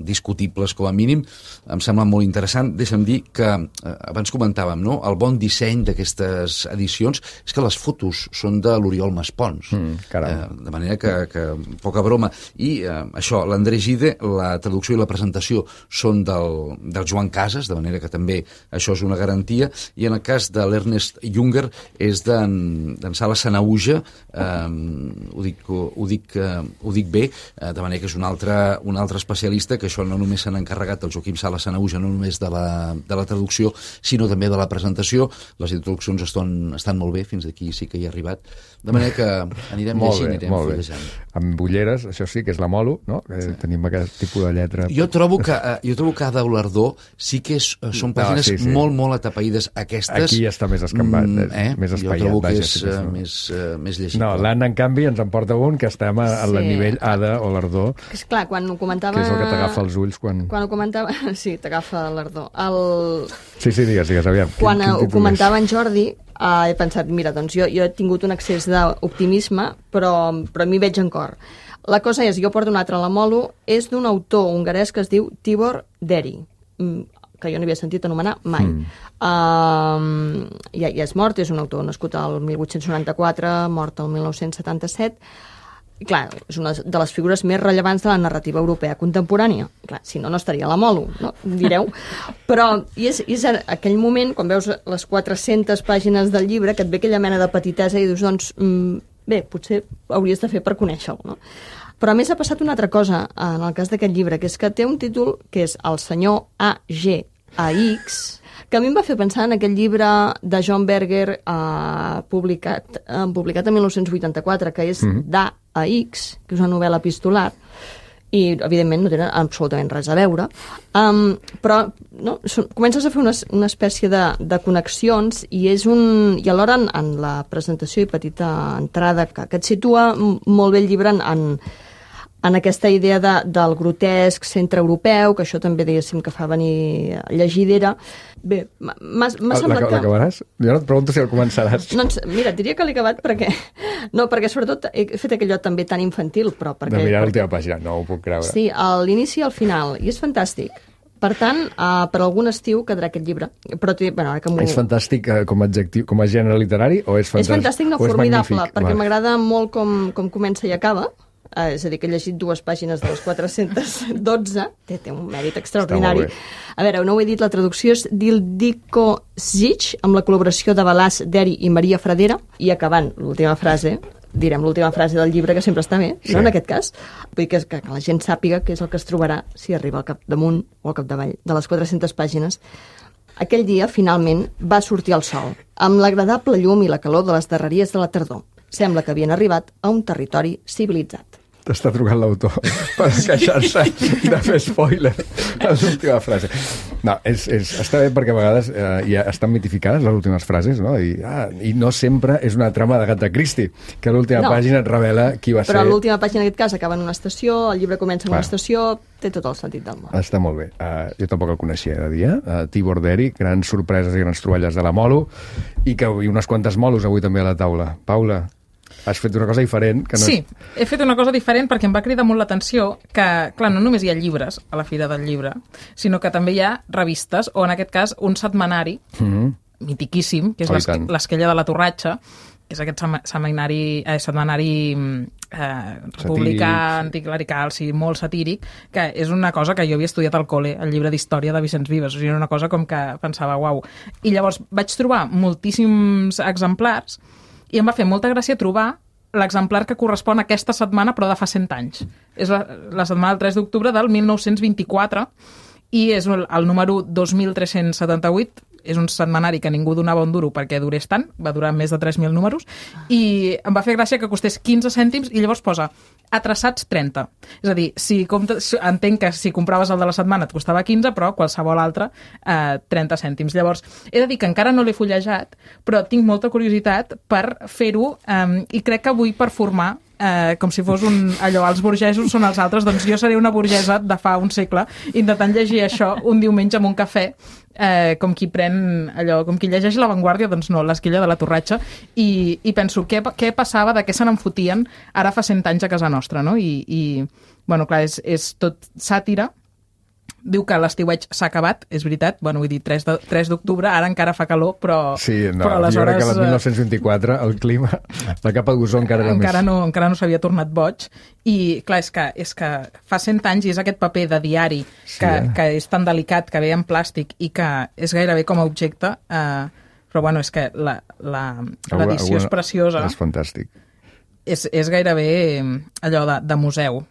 discutibles com a mínim. Em sembla molt interessant. Deixa'm dir que abans comentàvem, no? El bon disseny d'aquestes edicions és que les fotos són de l'Oriol Maspons. De manera que poca broma. I això, l'André Gide, la traducció i la presentació són del Joan Casas, de manera que també això és una garantia, i en el cas de l'Ernest Junger és d'en Sala Sanauja, ho dic bé, de manera que és un altre especialista, que això no només s'han encarregat el Joaquim Sala Sanauja, no només de la traducció, sinó també de la presentació. Les introduccions estan molt bé, fins aquí sí que hi ha arribat. De manera que anirem llegint, anirem fullejant. Amb ulleres, això sí que és la molo, no? Tenim aquest tipus de lletra. Jo trobo que Ada Olardó sí que són pàgines molt atapeïdes. Aquestes... Aquí està més escampat, més espaiat. Jo trobo que és més llegible. No, l'Anna, en canvi, ens en porta un que estem al nivell Ada Olardó. És clar, quan ho comentava... Que és el que t'agafa els ulls quan ho comentava... Sí, t'agafa l'ardor. Sí, digues, aviam. Quan ho comentava en Jordi, he pensat, mira, doncs jo he tingut un excés d'optimisme, però m'hi veig en cor. La cosa és, jo porto un altre a la molo, és d'un autor hongarès que es diu Tibor Deri, que jo no havia sentit anomenar mai. Ja és mort, és un autor nascut al 1894, mort al 1977. I clar, és una de les figures més rellevants de la narrativa europea contemporània. Clar, si no, no estaria a la molo, no? Direu. Però és aquell moment, quan veus les 400 pàgines del llibre, que et ve aquella mena de petitesa i dius, doncs, bé, potser hauries de fer per conèixer-lo, no? Però a més ha passat una altra cosa en el cas d'aquest llibre, que és que té un títol que és El senyor A.G.A.X., que a mi em va fer pensar en aquell llibre de John Berger publicat en 1984, que és d'A.X., que és una novel·la epistolar, i evidentment no tenen absolutament res a veure, però no, comences a fer una espècie de connexions i i alhora en la presentació i petita entrada que et situa molt bé el llibre en aquesta idea del grotesc centreeuropeu, que això també diguéssim que fa venir llegidera. Bé, m'ha semblat que... L'acabaràs? Jo no et pregunto si el començaràs. Doncs mira, et diria que l'he acabat perquè... No, perquè sobretot he fet aquell lloc també tan infantil, però perquè... De mirar l'última pàgina, no ho puc creure. Sí, a l'inici i al final, i és fantàstic. Per tant, per algun estiu quedarà aquest llibre. Però, bueno, ara que és fantàstic com a adjectiu, com a gènere literari, o és fantàstic? És fantàstic, no, formidable, perquè m'agrada molt com comença i acaba. És a dir, que he llegit 2 pàgines de les 412, té un mèrit extraordinari. A veure, no ho he dit, la traducció és d'Ildiko Zic, amb la col·laboració de Balázs Deri i Maria Fradera, i acabant l'última frase, direm l'última frase del llibre, que sempre està bé, sí. No, en aquest cas. Vull dir que la gent sàpiga què és el que es trobarà si arriba al capdamunt o al capdavall de les 400 pàgines. Aquell dia, finalment, va sortir el sol, amb l'agradable llum i la calor de les darreries de la tardor. Sembla que havien arribat a un territori civilitzat. T'està trucant l'autor per queixar-se de fer spoiler a l'última frase. No, està bé perquè a vegades ja estan mitificades les últimes frases, no? I no sempre és una trama d'Agatha Christie, que a l'última pàgina et revela qui va ser... Però l'última pàgina, en aquest cas, acaba en una estació, el llibre comença en una estació, té tot el sentit del món. Està molt bé. Jo tampoc el coneixia de dia. Tibor Deri, grans sorpreses i grans troballes de la Molo, i unes quantes molos avui també a la taula. Paula, has fet una cosa diferent. Que no sí, he fet una cosa diferent perquè em va cridar molt l'atenció que, clar, no només hi ha llibres a la Fira del Llibre, sinó que també hi ha revistes, o en aquest cas un setmanari mitiquíssim, que és l'Esquella de la Torratxa, que és aquest setmanari republicà, anticlerical, sí, molt satíric, que és una cosa que jo havia estudiat al col·le, el llibre d'història de Vicenç Vives, o sigui, era una cosa com que pensava, uau. I llavors vaig trobar moltíssims exemplars i em va fer molta gràcia trobar l'exemplar que correspon a aquesta setmana, però de fa 100 anys. És la setmana del 3 d'octubre del 1924 i és el número 2378. És un setmanari que ningú donava un duro perquè durés tant, va durar més de 3.000 números, i em va fer gràcia que costés 15 cèntims i llavors posa atraçats 30. És a dir, entenc que si compraves el de la setmana et costava 15, però qualsevol altre 30 cèntims. Llavors, he de dir que encara no l'he fullejat, però tinc molta curiositat per fer-ho i crec que vull performar com si fos allò, els burgesos són els altres, doncs jo seré una burgesa de fa un segle intentant llegir això un diumenge amb un cafè, com qui pren allò, com qui llegeix La Vanguardia, doncs no, l'Esquella de la Torratxa, i penso, què passava, de què se n'enfotien ara fa 100 anys a casa nostra, no? I bueno, clar, és tot sàtira. Diu que l'estiueig s'ha acabat, és veritat, bueno, vull dir, 3 d'octubre, ara encara fa calor, però... Sí, no, però aleshores... Jo crec que el 1924 el clima, la capa d'ozó encara era encara no s'havia tornat boig, i clar, és que fa 100 anys i és aquest paper de diari que és tan delicat, que ve en plàstic i que és gairebé com a objecte, però bueno, és que l'edició és preciosa. És fantàstic. És gairebé allò de museu.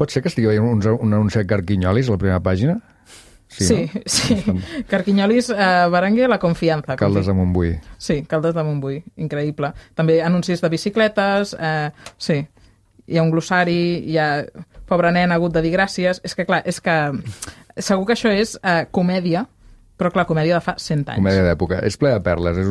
Pot ser que estigui veient un anunci de Carquinyolis a la primera pàgina? Sí, no? Sí. Carquinyolis, Berenguer, La Confianza. Caldes de Montbui. Sí, Caldes de Montbui, increïble. També anuncis de bicicletes, sí. Hi ha un glossari, hi ha... Pobre nen, ha hagut de dir gràcies. És que, clar, segur que això és comèdia, però clar, comèdia de fa 100 anys. Comèdia d'època. És ple de perles, és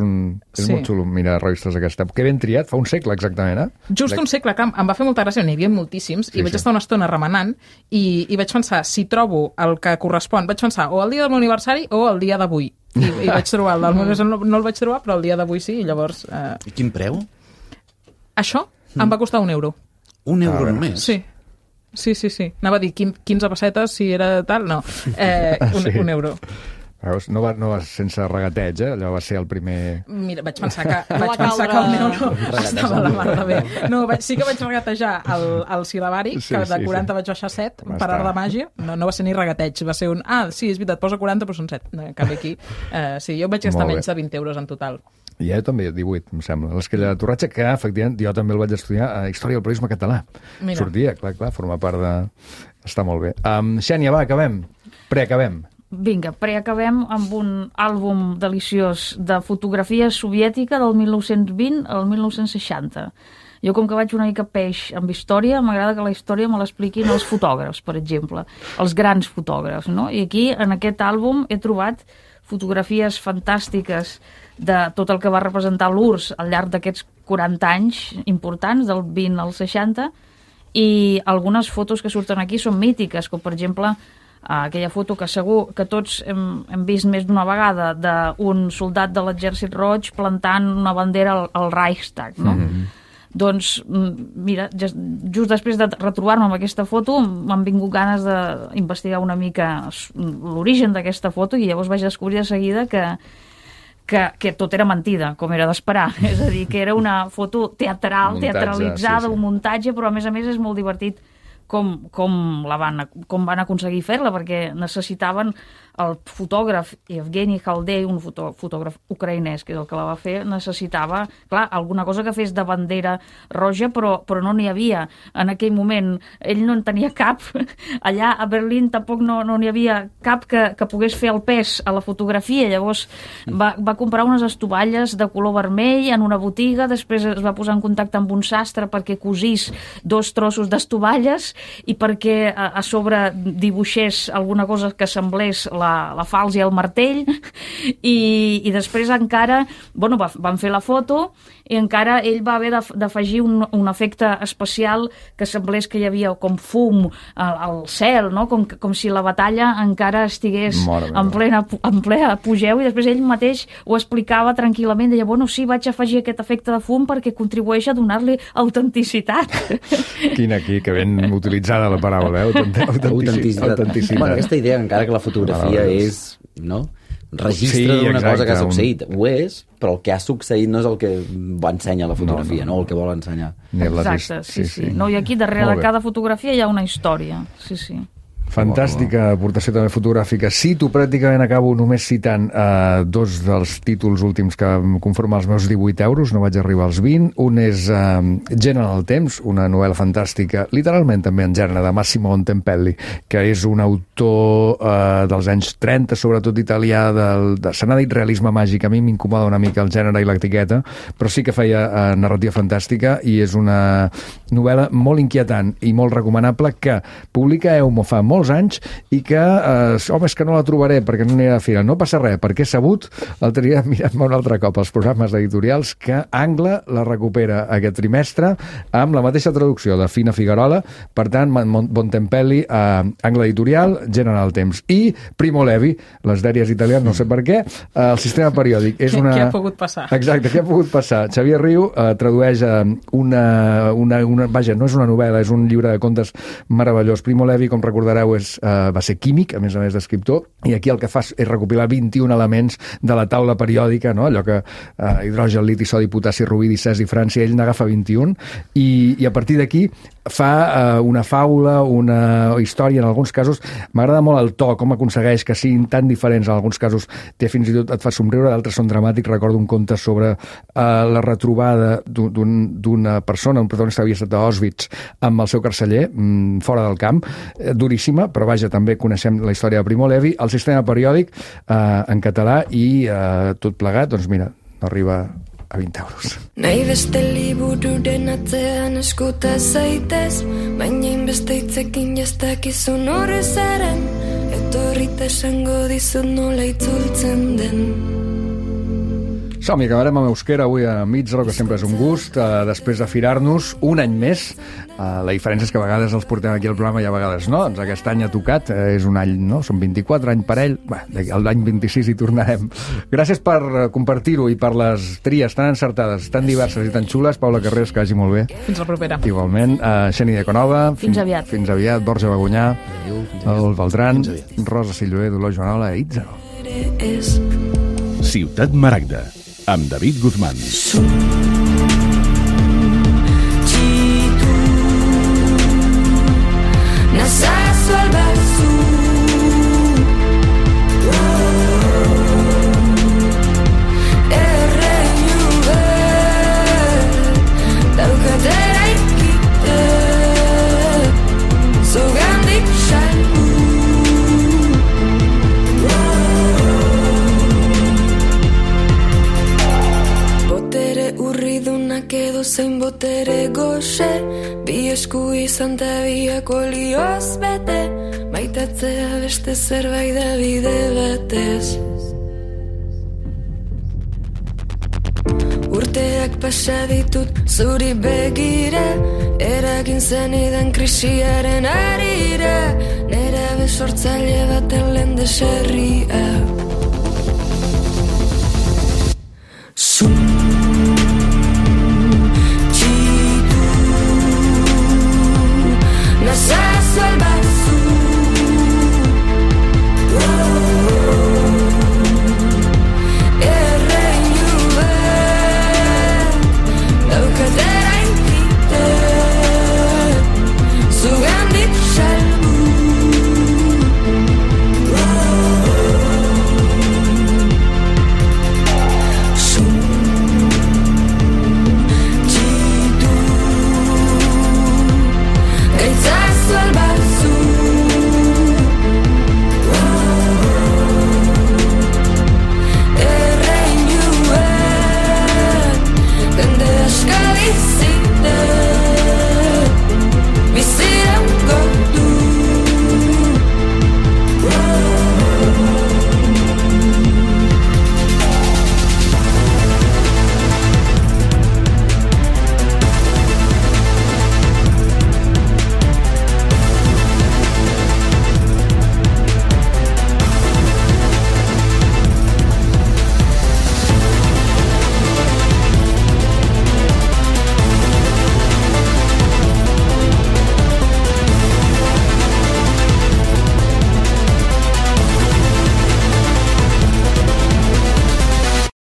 molt xulo mirar revistes d'aquesta època. Que ben triat, fa un segle exactament, Just un segle, que em va fer molta gràcia, n'hi havia moltíssims, i vaig estar una estona remenant, i vaig pensar, si trobo el que correspon, vaig pensar o el dia del meu aniversari o el dia d'avui. I vaig trobar el del Monegasol, no el vaig trobar, però el dia d'avui sí, i llavors... I quin preu? Això em va costar €1. €1 només? Sí. Anava a dir 15 pessetes si era tal, no. €1. Veus? No vas sense regateig, allò va ser el primer... Mira, vaig pensar que €1 estava a la mar de bé. No, sí que vaig regatejar el sil·labari, que de 40 vaig baixar 7, per art de màgia. No va ser ni regateig, va ser un... sí, és veritat, posa 40, però són 7. En canvi aquí... Sí, jo vaig gastar menys de €20 en total. I jo també, 18, em sembla. L'Esquella de Torratxa, que, efectivament, jo també el vaig estudiar a Història del Periodisme Català. Mira. Sortia, clar, forma part de... Està molt bé. Xènia, va, acabem. Preacabem. Vinga, preacabem amb un àlbum deliciós de fotografia soviètica del 1920 al 1960. Jo, com que vaig una mica peix amb història, m'agrada que la història me l'expliquin els fotògrafs, per exemple, els grans fotògrafs, no? I aquí, en aquest àlbum, he trobat fotografies fantàstiques de tot el que va representar l'URSS al llarg d'aquests 40 anys importants, del 20 al 60, i algunes fotos que surten aquí són mítiques, com per exemple aquella foto que segur que tots hem vist més d'una vegada d'un soldat de l'exèrcit roig plantant una bandera al Reichstag, no? Doncs, mira, just després de retrobar-me amb aquesta foto m'han vingut ganes d'investigar una mica l'origen d'aquesta foto i llavors vaig descobrir de seguida que tot era mentida, com era d'esperar. És a dir, que era una foto teatralitzada, un muntatge, però a més és molt divertit com van aconseguir fer-la, perquè necessitaven el fotògraf Evgeny Khaldei, un fotògraf ucraïnès, que és el que la va fer, necessitava, clar, alguna cosa que fes de bandera roja, però no n'hi havia. En aquell moment ell no en tenia cap. Allà a Berlín tampoc no n'hi havia cap que pogués fer el pes a la fotografia. Llavors va comprar unes estovalles de color vermell en una botiga, després es va posar en contacte amb un sastre perquè cosís 2 trossos d'estovalles i perquè a sobre dibuixés alguna cosa que semblés la falç i el martell i després encara van fer la foto i encara ell va haver d'afegir un efecte especial que semblés que hi havia com fum al cel, no? Com si la batalla encara estigués en ple apogeu i després ell mateix ho explicava tranquil·lament, deia, sí, vaig afegir aquest efecte de fum perquè contribueix a donar-li autenticitat. Quina aquí, que ben utilitzada la paraula, autenticitat. Bueno, aquesta idea, encara que la fotografia és, no?, registre d'una cosa que ha succeït. Ho és, però el que ha succeït no és el que va ensenyar la fotografia, no el que vol ensenyar. Exacte, sí. No, i aquí darrere de cada fotografia hi ha una història. Sí. Fantàstica aportació també fotogràfica. Cito, pràcticament acabo només citant 2 dels títols últims que conformen els meus 18 euros, no vaig arribar als 20. Un és General Temps, una novel·la fantàstica, literalment també en gènere, de Massimo Bontempelli, que és un autor dels anys 30, sobretot italià, se n'ha dit realisme màgic. A mi m'incomoda una mica el gènere i l'etiqueta, però sí que feia narrativa fantàstica i és una novel·la molt inquietant i molt recomanable que publica Eumo fa molts anys i que, és que no la trobaré perquè no anirà a fira. No passa res, perquè he sabut, l'altre dia mirant-me un altre cop els programes editorials, que Angla la recupera aquest trimestre amb la mateixa traducció de Fina Figuerola, per tant, Bontempelli, Angla Editorial, General Temps. I Primo Levi, les dèries italianes, no sé per què, el sistema periòdic. Què ha pogut passar? Exacte, què ha pogut passar? Xavier Riu tradueix vaja, no és una novel·la, és un llibre de contes meravellós. Primo Levi, com recordareu, va ser químic, a més d'escriptor, i aquí el que fa és recopilar 21 elements de la taula periòdica, no? Allò que hidrogen, liti, sodi, potassi, rubidi, cesi, Franci, ell n'agafa 21, i a partir d'aquí fa una faula, una història, en alguns casos m'agrada molt el to, com aconsegueix que siguin tan diferents, en alguns casos fins i tot et fa somriure, d'altres són dramàtics. Recordo un conte sobre la retrobada d'una persona, un protagonista que havia estat a Auschwitz amb el seu carceller, fora del camp, duríssima, però vaja, també coneixem la història de Primo Levi, el sistema periòdic en català i tot plegat, doncs mira, arriba a 20 euros. Nahi beste libururen atzean eskuta zaitez, baina inbeste hitzekin jastakizun horrezaren, etorrita esango dizut nola itzultzen den. Som-hi, acabarem amb euskera avui a Mitzro, que sempre és un gust, després de firar-nos un any més. La diferència és que a vegades els portem aquí al programa i a vegades no. Doncs aquest any ha tocat, és un any, no? Són 24 anys parell. L'any 26 hi tornarem. Gràcies per compartir-ho i per les tries tan encertades, tan diverses i tan xules. Paula Carreras, que vagi molt bé. Fins la propera. Igualment. Xeni de Conova. Fins aviat. Fins aviat. Borja Bagunyà. Adolf Beltran. Rosa Silloé, Dolors Joanola i Itzaro. Ciutat Maragda, amb David Guzmán. Nazazu albazu Erreinu bet Daukatera ikite Zugandik salgu Botere urridunak edo zein botere goxe Bi esku izan ta biak olioz bete Maitatzea beste zerbait da bide batez Urteak pasa ditut zuri begira Eragin zenidan krisiaren arira Nera besortzaile baten lehen deserria